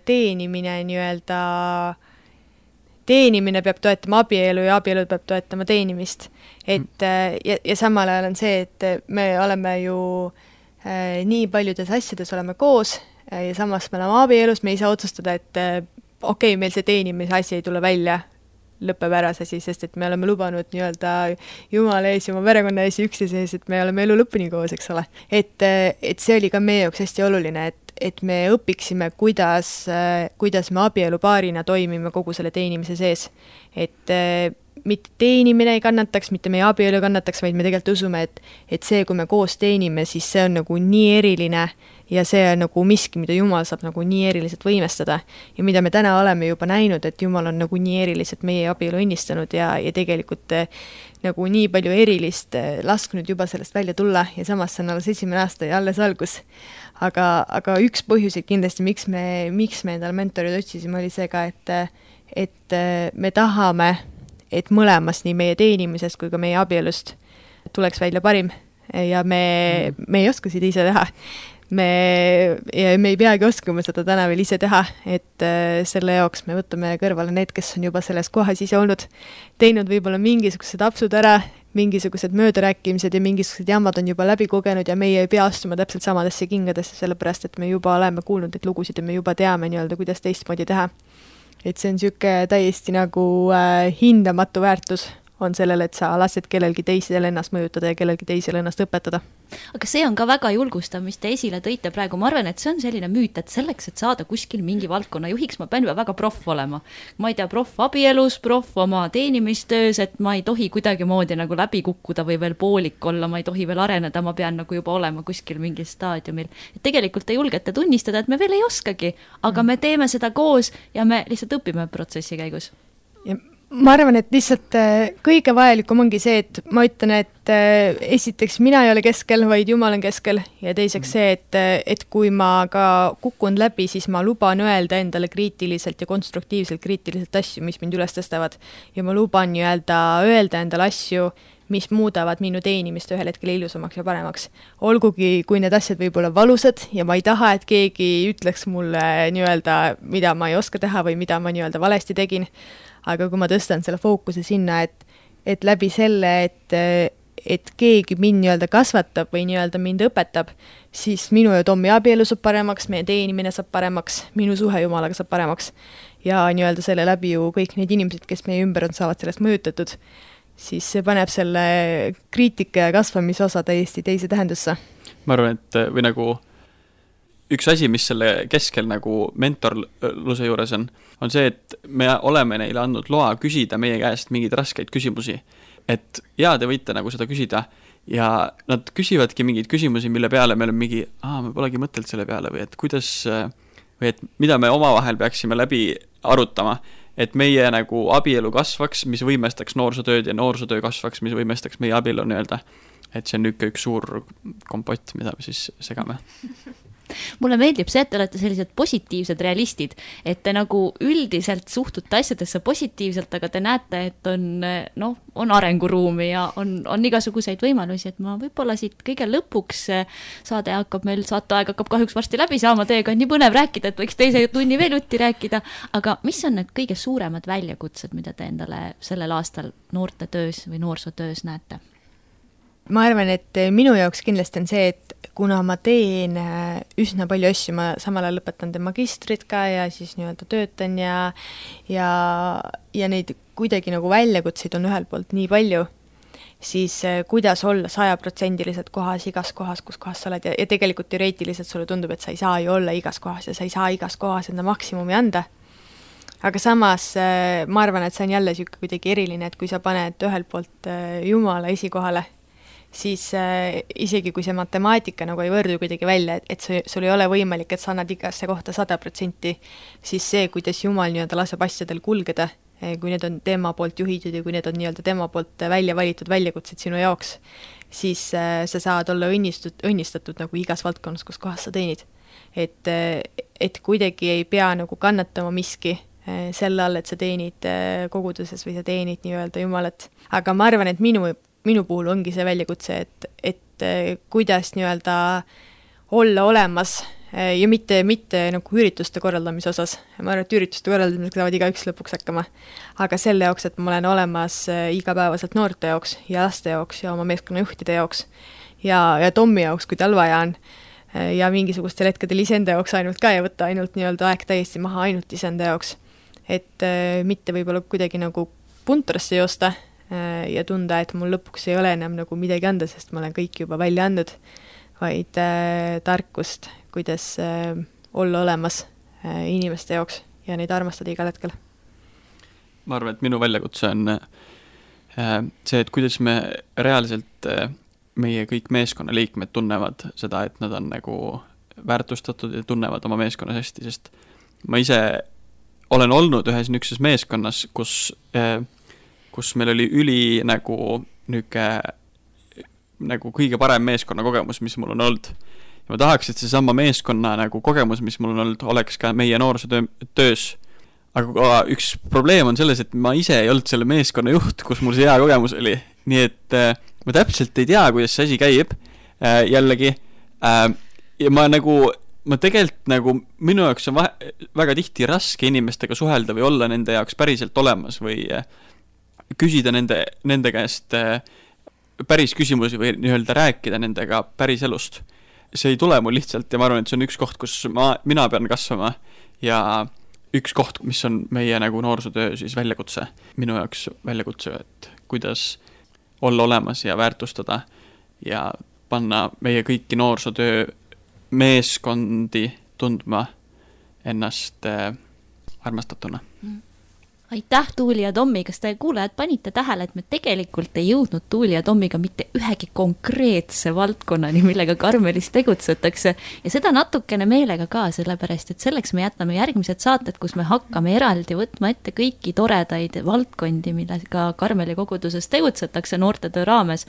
teenimine nii-öelda, teenimine peab toetama abielu ja abielu peab toetama teenimist. Et, ja, ja samal ajal on see, et me oleme ju äh, nii paljudes asjades oleme koos äh, ja samas me oleme abielus, me ei saa otsustada, et äh, okei, okay, meil see teenimise asi ei tule välja, lõpeb ära see asi, sest et me oleme lubanud nii-öelda Jumala ees ja oma perekonna ees ja üksteise ees, et me oleme elu lõpuni koos, eks ole. Et, et see oli ka meie jaoks hästi oluline, et, et me õpiksime, kuidas, kuidas me abielupaarina toimime kogu selle teenimise sees. Et mitte teenimine ei kannataks, mitte meie abielu kannataks, vaid me tegelikult usume, et, et see, kui me koos teenime, siis see on nagu nii eriline ja see on nagu miski, mida Jumal saab nagu nii eriliselt võimestada. Ja mida me täna oleme juba näinud, et Jumal on nagu nii eriliselt meie abielu õnnistanud ja, ja tegelikult nagu nii palju erilist lasknud juba sellest välja tulla ja samas see on alles esimene aasta ja alles algus. Aga, aga üks põhjuseid kindlasti, miks me, miks me endale mentorid otsisime, oli see ka, et, et me tahame, et mõlemas nii meie teenimisest kui ka meie abielust tuleks välja parim ja me, me ei oska seda ise teha. Me, me ei peagi oskama seda täna veel ise teha, et selle jaoks me võtame kõrvale need, kes on juba selles kohas ise olnud, teinud võib-olla mingisugused apsud ära, mingisugused möödarääkimised ja mingisugused jammad on juba läbi kogenud ja meie ei pea astuma täpselt samadesse kingadesse, sellepärast et me juba oleme kuulnud neid lugusid ja me juba teame nii-öelda, kuidas teistmoodi teha. Et see on siuke täiesti nagu äh, hindamatu väärtus on sellele, et sa lased kellelgi teisel ennast mõjutada ja kellelgi teisel ennast õpetada. Aga see on ka väga julgustav, mis te esile tõite praegu. Ma arvan, et see on selline müüt, et selleks, et saada kuskil mingi valdkonna juhiks, ma pean juba väga proff olema. Ma ei tea, proff abielus, proff oma teenimistöös, et ma ei tohi kuidagi moodi nagu läbi kukkuda või veel poolik olla, ma ei tohi veel areneda, ma pean nagu juba olema kuskil mingil staadiumil. Et tegelikult te julgete tunnistada, et me veel ei oskagi, aga me teeme seda koos ja me lihtsalt õpime protsessi käigus. Ja ma arvan, et lihtsalt kõige vajalikum ongi see, et ma ütlen, et esiteks mina ei ole keskel, vaid Jumal on keskel ja teiseks see, et, et kui ma ka kukun läbi, siis ma luban öelda endale kriitiliselt ja konstruktiivselt kriitiliselt asju, mis mind üles tõstavad ja ma luban öelda, öelda endale asju, mis muudavad minu teenimist ühel hetkel ilusamaks ja paremaks. Olgugi, kui need asjad võib olla valusad ja ma ei taha, et keegi ütleks mulle nii-öelda, mida ma ei oska teha või mida ma nii-öelda valesti tegin. Aga kui ma tõstan selle fookuse sinna, et, et läbi selle, et, et keegi mind nii-öelda kasvatab või nii-öelda mind õpetab, siis minu ja Tommi abielu saab paremaks, meie teenimine saab paremaks, minu suhe Jumalaga saab paremaks ja nii-öelda selle läbi ju kõik need inimesed, kes meie ümber on, saavad sellest mõjutatud, siis see paneb selle kriitika ja kasvamise osa täiesti teise tähendusse. Ma arvan, et või nagu üks asi, mis selle keskel nagu mentorluse juures on, on see, et me oleme neile andnud loa küsida meie käest mingeid raskeid küsimusi. Et jaa, te võite nagu seda küsida ja nad küsivadki mingeid küsimusi, mille peale me oleme mingi, aa, me polegi mõtelt selle peale või et kuidas, või et mida me omavahel peaksime läbi arutama, et meie nagu abielu kasvaks, mis võimestaks noorsootööd ja noorsootöö kasvaks, mis võimestaks meie abielu nii-öelda. Et see on üks, üks suur kompott, mida me siis segame. Mulle meeldib see, et te olete sellised positiivsed realistid, et te nagu üldiselt suhtute asjadesse positiivselt, aga te näete, et on, no, on arenguruumi ja on, on igasuguseid võimalusi, et ma võib-olla siit kõige lõpuks saade hakkab meil, saateaeg hakkab kahjuks varsti läbi saama, teiega on nii põnev rääkida, et võiks teise tunni veel jutti rääkida, aga mis on need kõige suuremad väljakutsed, mida te endale sellel aastal noorte töös või noorsootöös näete? Ma arvan, et minu jaoks kindlasti on see, et kuna ma teen üsna palju asju, ma samal ajal lõpetan te magistrit ka ja siis nii-öelda töötan ja, ja, ja neid kuidagi nagu väljakutseid on ühel poolt nii palju, siis kuidas olla sajaprotsendiliselt kohas igas kohas, kus kohas sa oled ja, ja tegelikult teoreetiliselt sulle tundub, et sa ei saa ju olla igas kohas ja sa ei saa igas kohas enda maksimumi anda. Aga samas ma arvan, et see on jälle siuke kuidagi eriline, et kui sa paned ühel poolt Jumala esikohale, siis äh, isegi kui see matemaatika nagu ei võrdu kuidagi välja, et, et see, sul ei ole võimalik, et sa annad igasse kohta sada protsenti, siis see, kuidas Jumal nii-öelda laseb asjadel kulgeda, kui need on tema poolt juhitud ja kui need on nii-öelda tema poolt välja valitud väljakutsed sinu jaoks, siis äh, sa saad olla õnnistud, õnnistatud nagu igas valdkonnas, kus kohas sa teenid. Et, et kuidagi ei pea nagu kannatama miski äh, selle all, et sa teenid äh, koguduses või sa teenid nii-öelda Jumalat. Aga ma arvan, et minu minu puhul ongi see väljakutse, et, et kuidas nii-öelda olla olemas ja mitte, mitte nagu ürituste korraldamise osas. Ma arvan, et ürituste korraldamisega saavad iga üks lõpuks hakkama. Aga selle jaoks, et ma olen olemas igapäevaselt noorte jaoks ja laste jaoks ja oma meeskonnajuhtide jaoks ja, ja Tommi jaoks, kui tal vaja on. Ja mingisugustel hetkedel iseenda jaoks ainult ka ja võtta ainult nii-öelda aeg täiesti maha ainult iseenda jaoks. Et mitte võib-olla kuidagi nagu puntrasse joosta ja tunda, et mul lõpuks ei ole enam nagu midagi anda, sest ma olen kõik juba välja andnud, vaid äh, tarkust, kuidas olla olemas inimeste jaoks ja neid armastada igal hetkel. Ma arvan, et minu väljakutse on see, et kuidas me reaalselt meie kõik meeskonnaliikmed tunnevad seda, et nad on nagu väärtustatud ja tunnevad oma meeskonnas hästi, sest ma ise olen olnud ühes niisuguses meeskonnas, kus, kus meil oli üli nagu niuke, nagu kõige parem meeskonna kogemus, mis mul on olnud. Ja ma tahaks, et see sama meeskonna nagu kogemus, mis mul on olnud, oleks ka meie noorsootöös. Aga üks probleem on selles, et ma ise ei olnud selle meeskonna juht, kus mul see hea kogemus oli. Nii et ma täpselt ei tea, kuidas see asi käib jällegi. Ja ma nagu, ma tegelikult nagu, minu jaoks on vahe, väga tihti raske inimestega suhelda või olla nende jaoks päriselt olemas või küsida nende, nende käest päris küsimusi või nii-öelda rääkida nendega päris elust. See ei tule mul lihtsalt ja ma arvan, et see on üks koht, kus ma, mina pean kasvama ja üks koht, mis on meie nagu noorsootöö siis väljakutse, minu jaoks väljakutse, et kuidas olla olemas ja väärtustada ja panna meie kõiki noorsootöö meeskondi tundma ennast armastatuna. Aitäh, Tuuli ja Tommi, kas te kuulajad panite tähele, et me tegelikult ei jõudnud Tuuli ja Tommiga mitte ühegi konkreetse valdkonnani, millega Karmelis tegutsetakse ja seda natukene meelega ka, sellepärast, et selleks me jätame järgmised saated, kus me hakkame eraldi võtma ette kõiki toredaid valdkondi, millega Karmeli koguduses tegutsetakse noortetöö raames.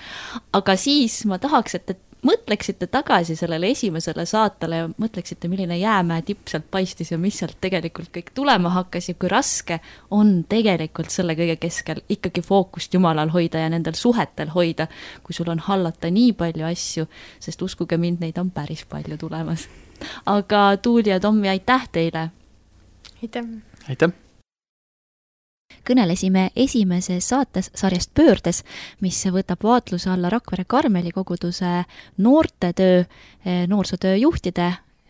Aga siis ma tahaks, et mõtleksite tagasi sellele esimesele saatele ja mõtleksite, milline jäämäe tipp sealt paistis ja mis sealt tegelikult kõik tulema hakkas ja kui raske on tegelikult selle kõige keskel ikkagi fookust Jumalal hoida ja nendel suhetel hoida, kui sul on hallata nii palju asju, sest uskuge mind, neid on päris palju tulemas. Aga Tuuli ja Tommi, aitäh teile! Aitäh! Aitäh! Kõnelesime esimeses saates sarjast Pöördes, mis võtab vaatluse alla Rakvere Karmeli koguduse noortetöö, noorsootöö juhtide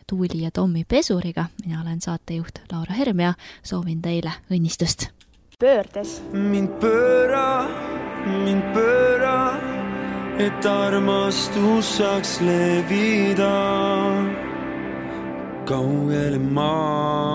Tuuli ja Tommi Pesuriga. Mina olen saatejuht Laura Herm ja soovin teile õnnistust. Pöördes. Mind pööra, mind pööra, et armastus saaks levida kaugele maa.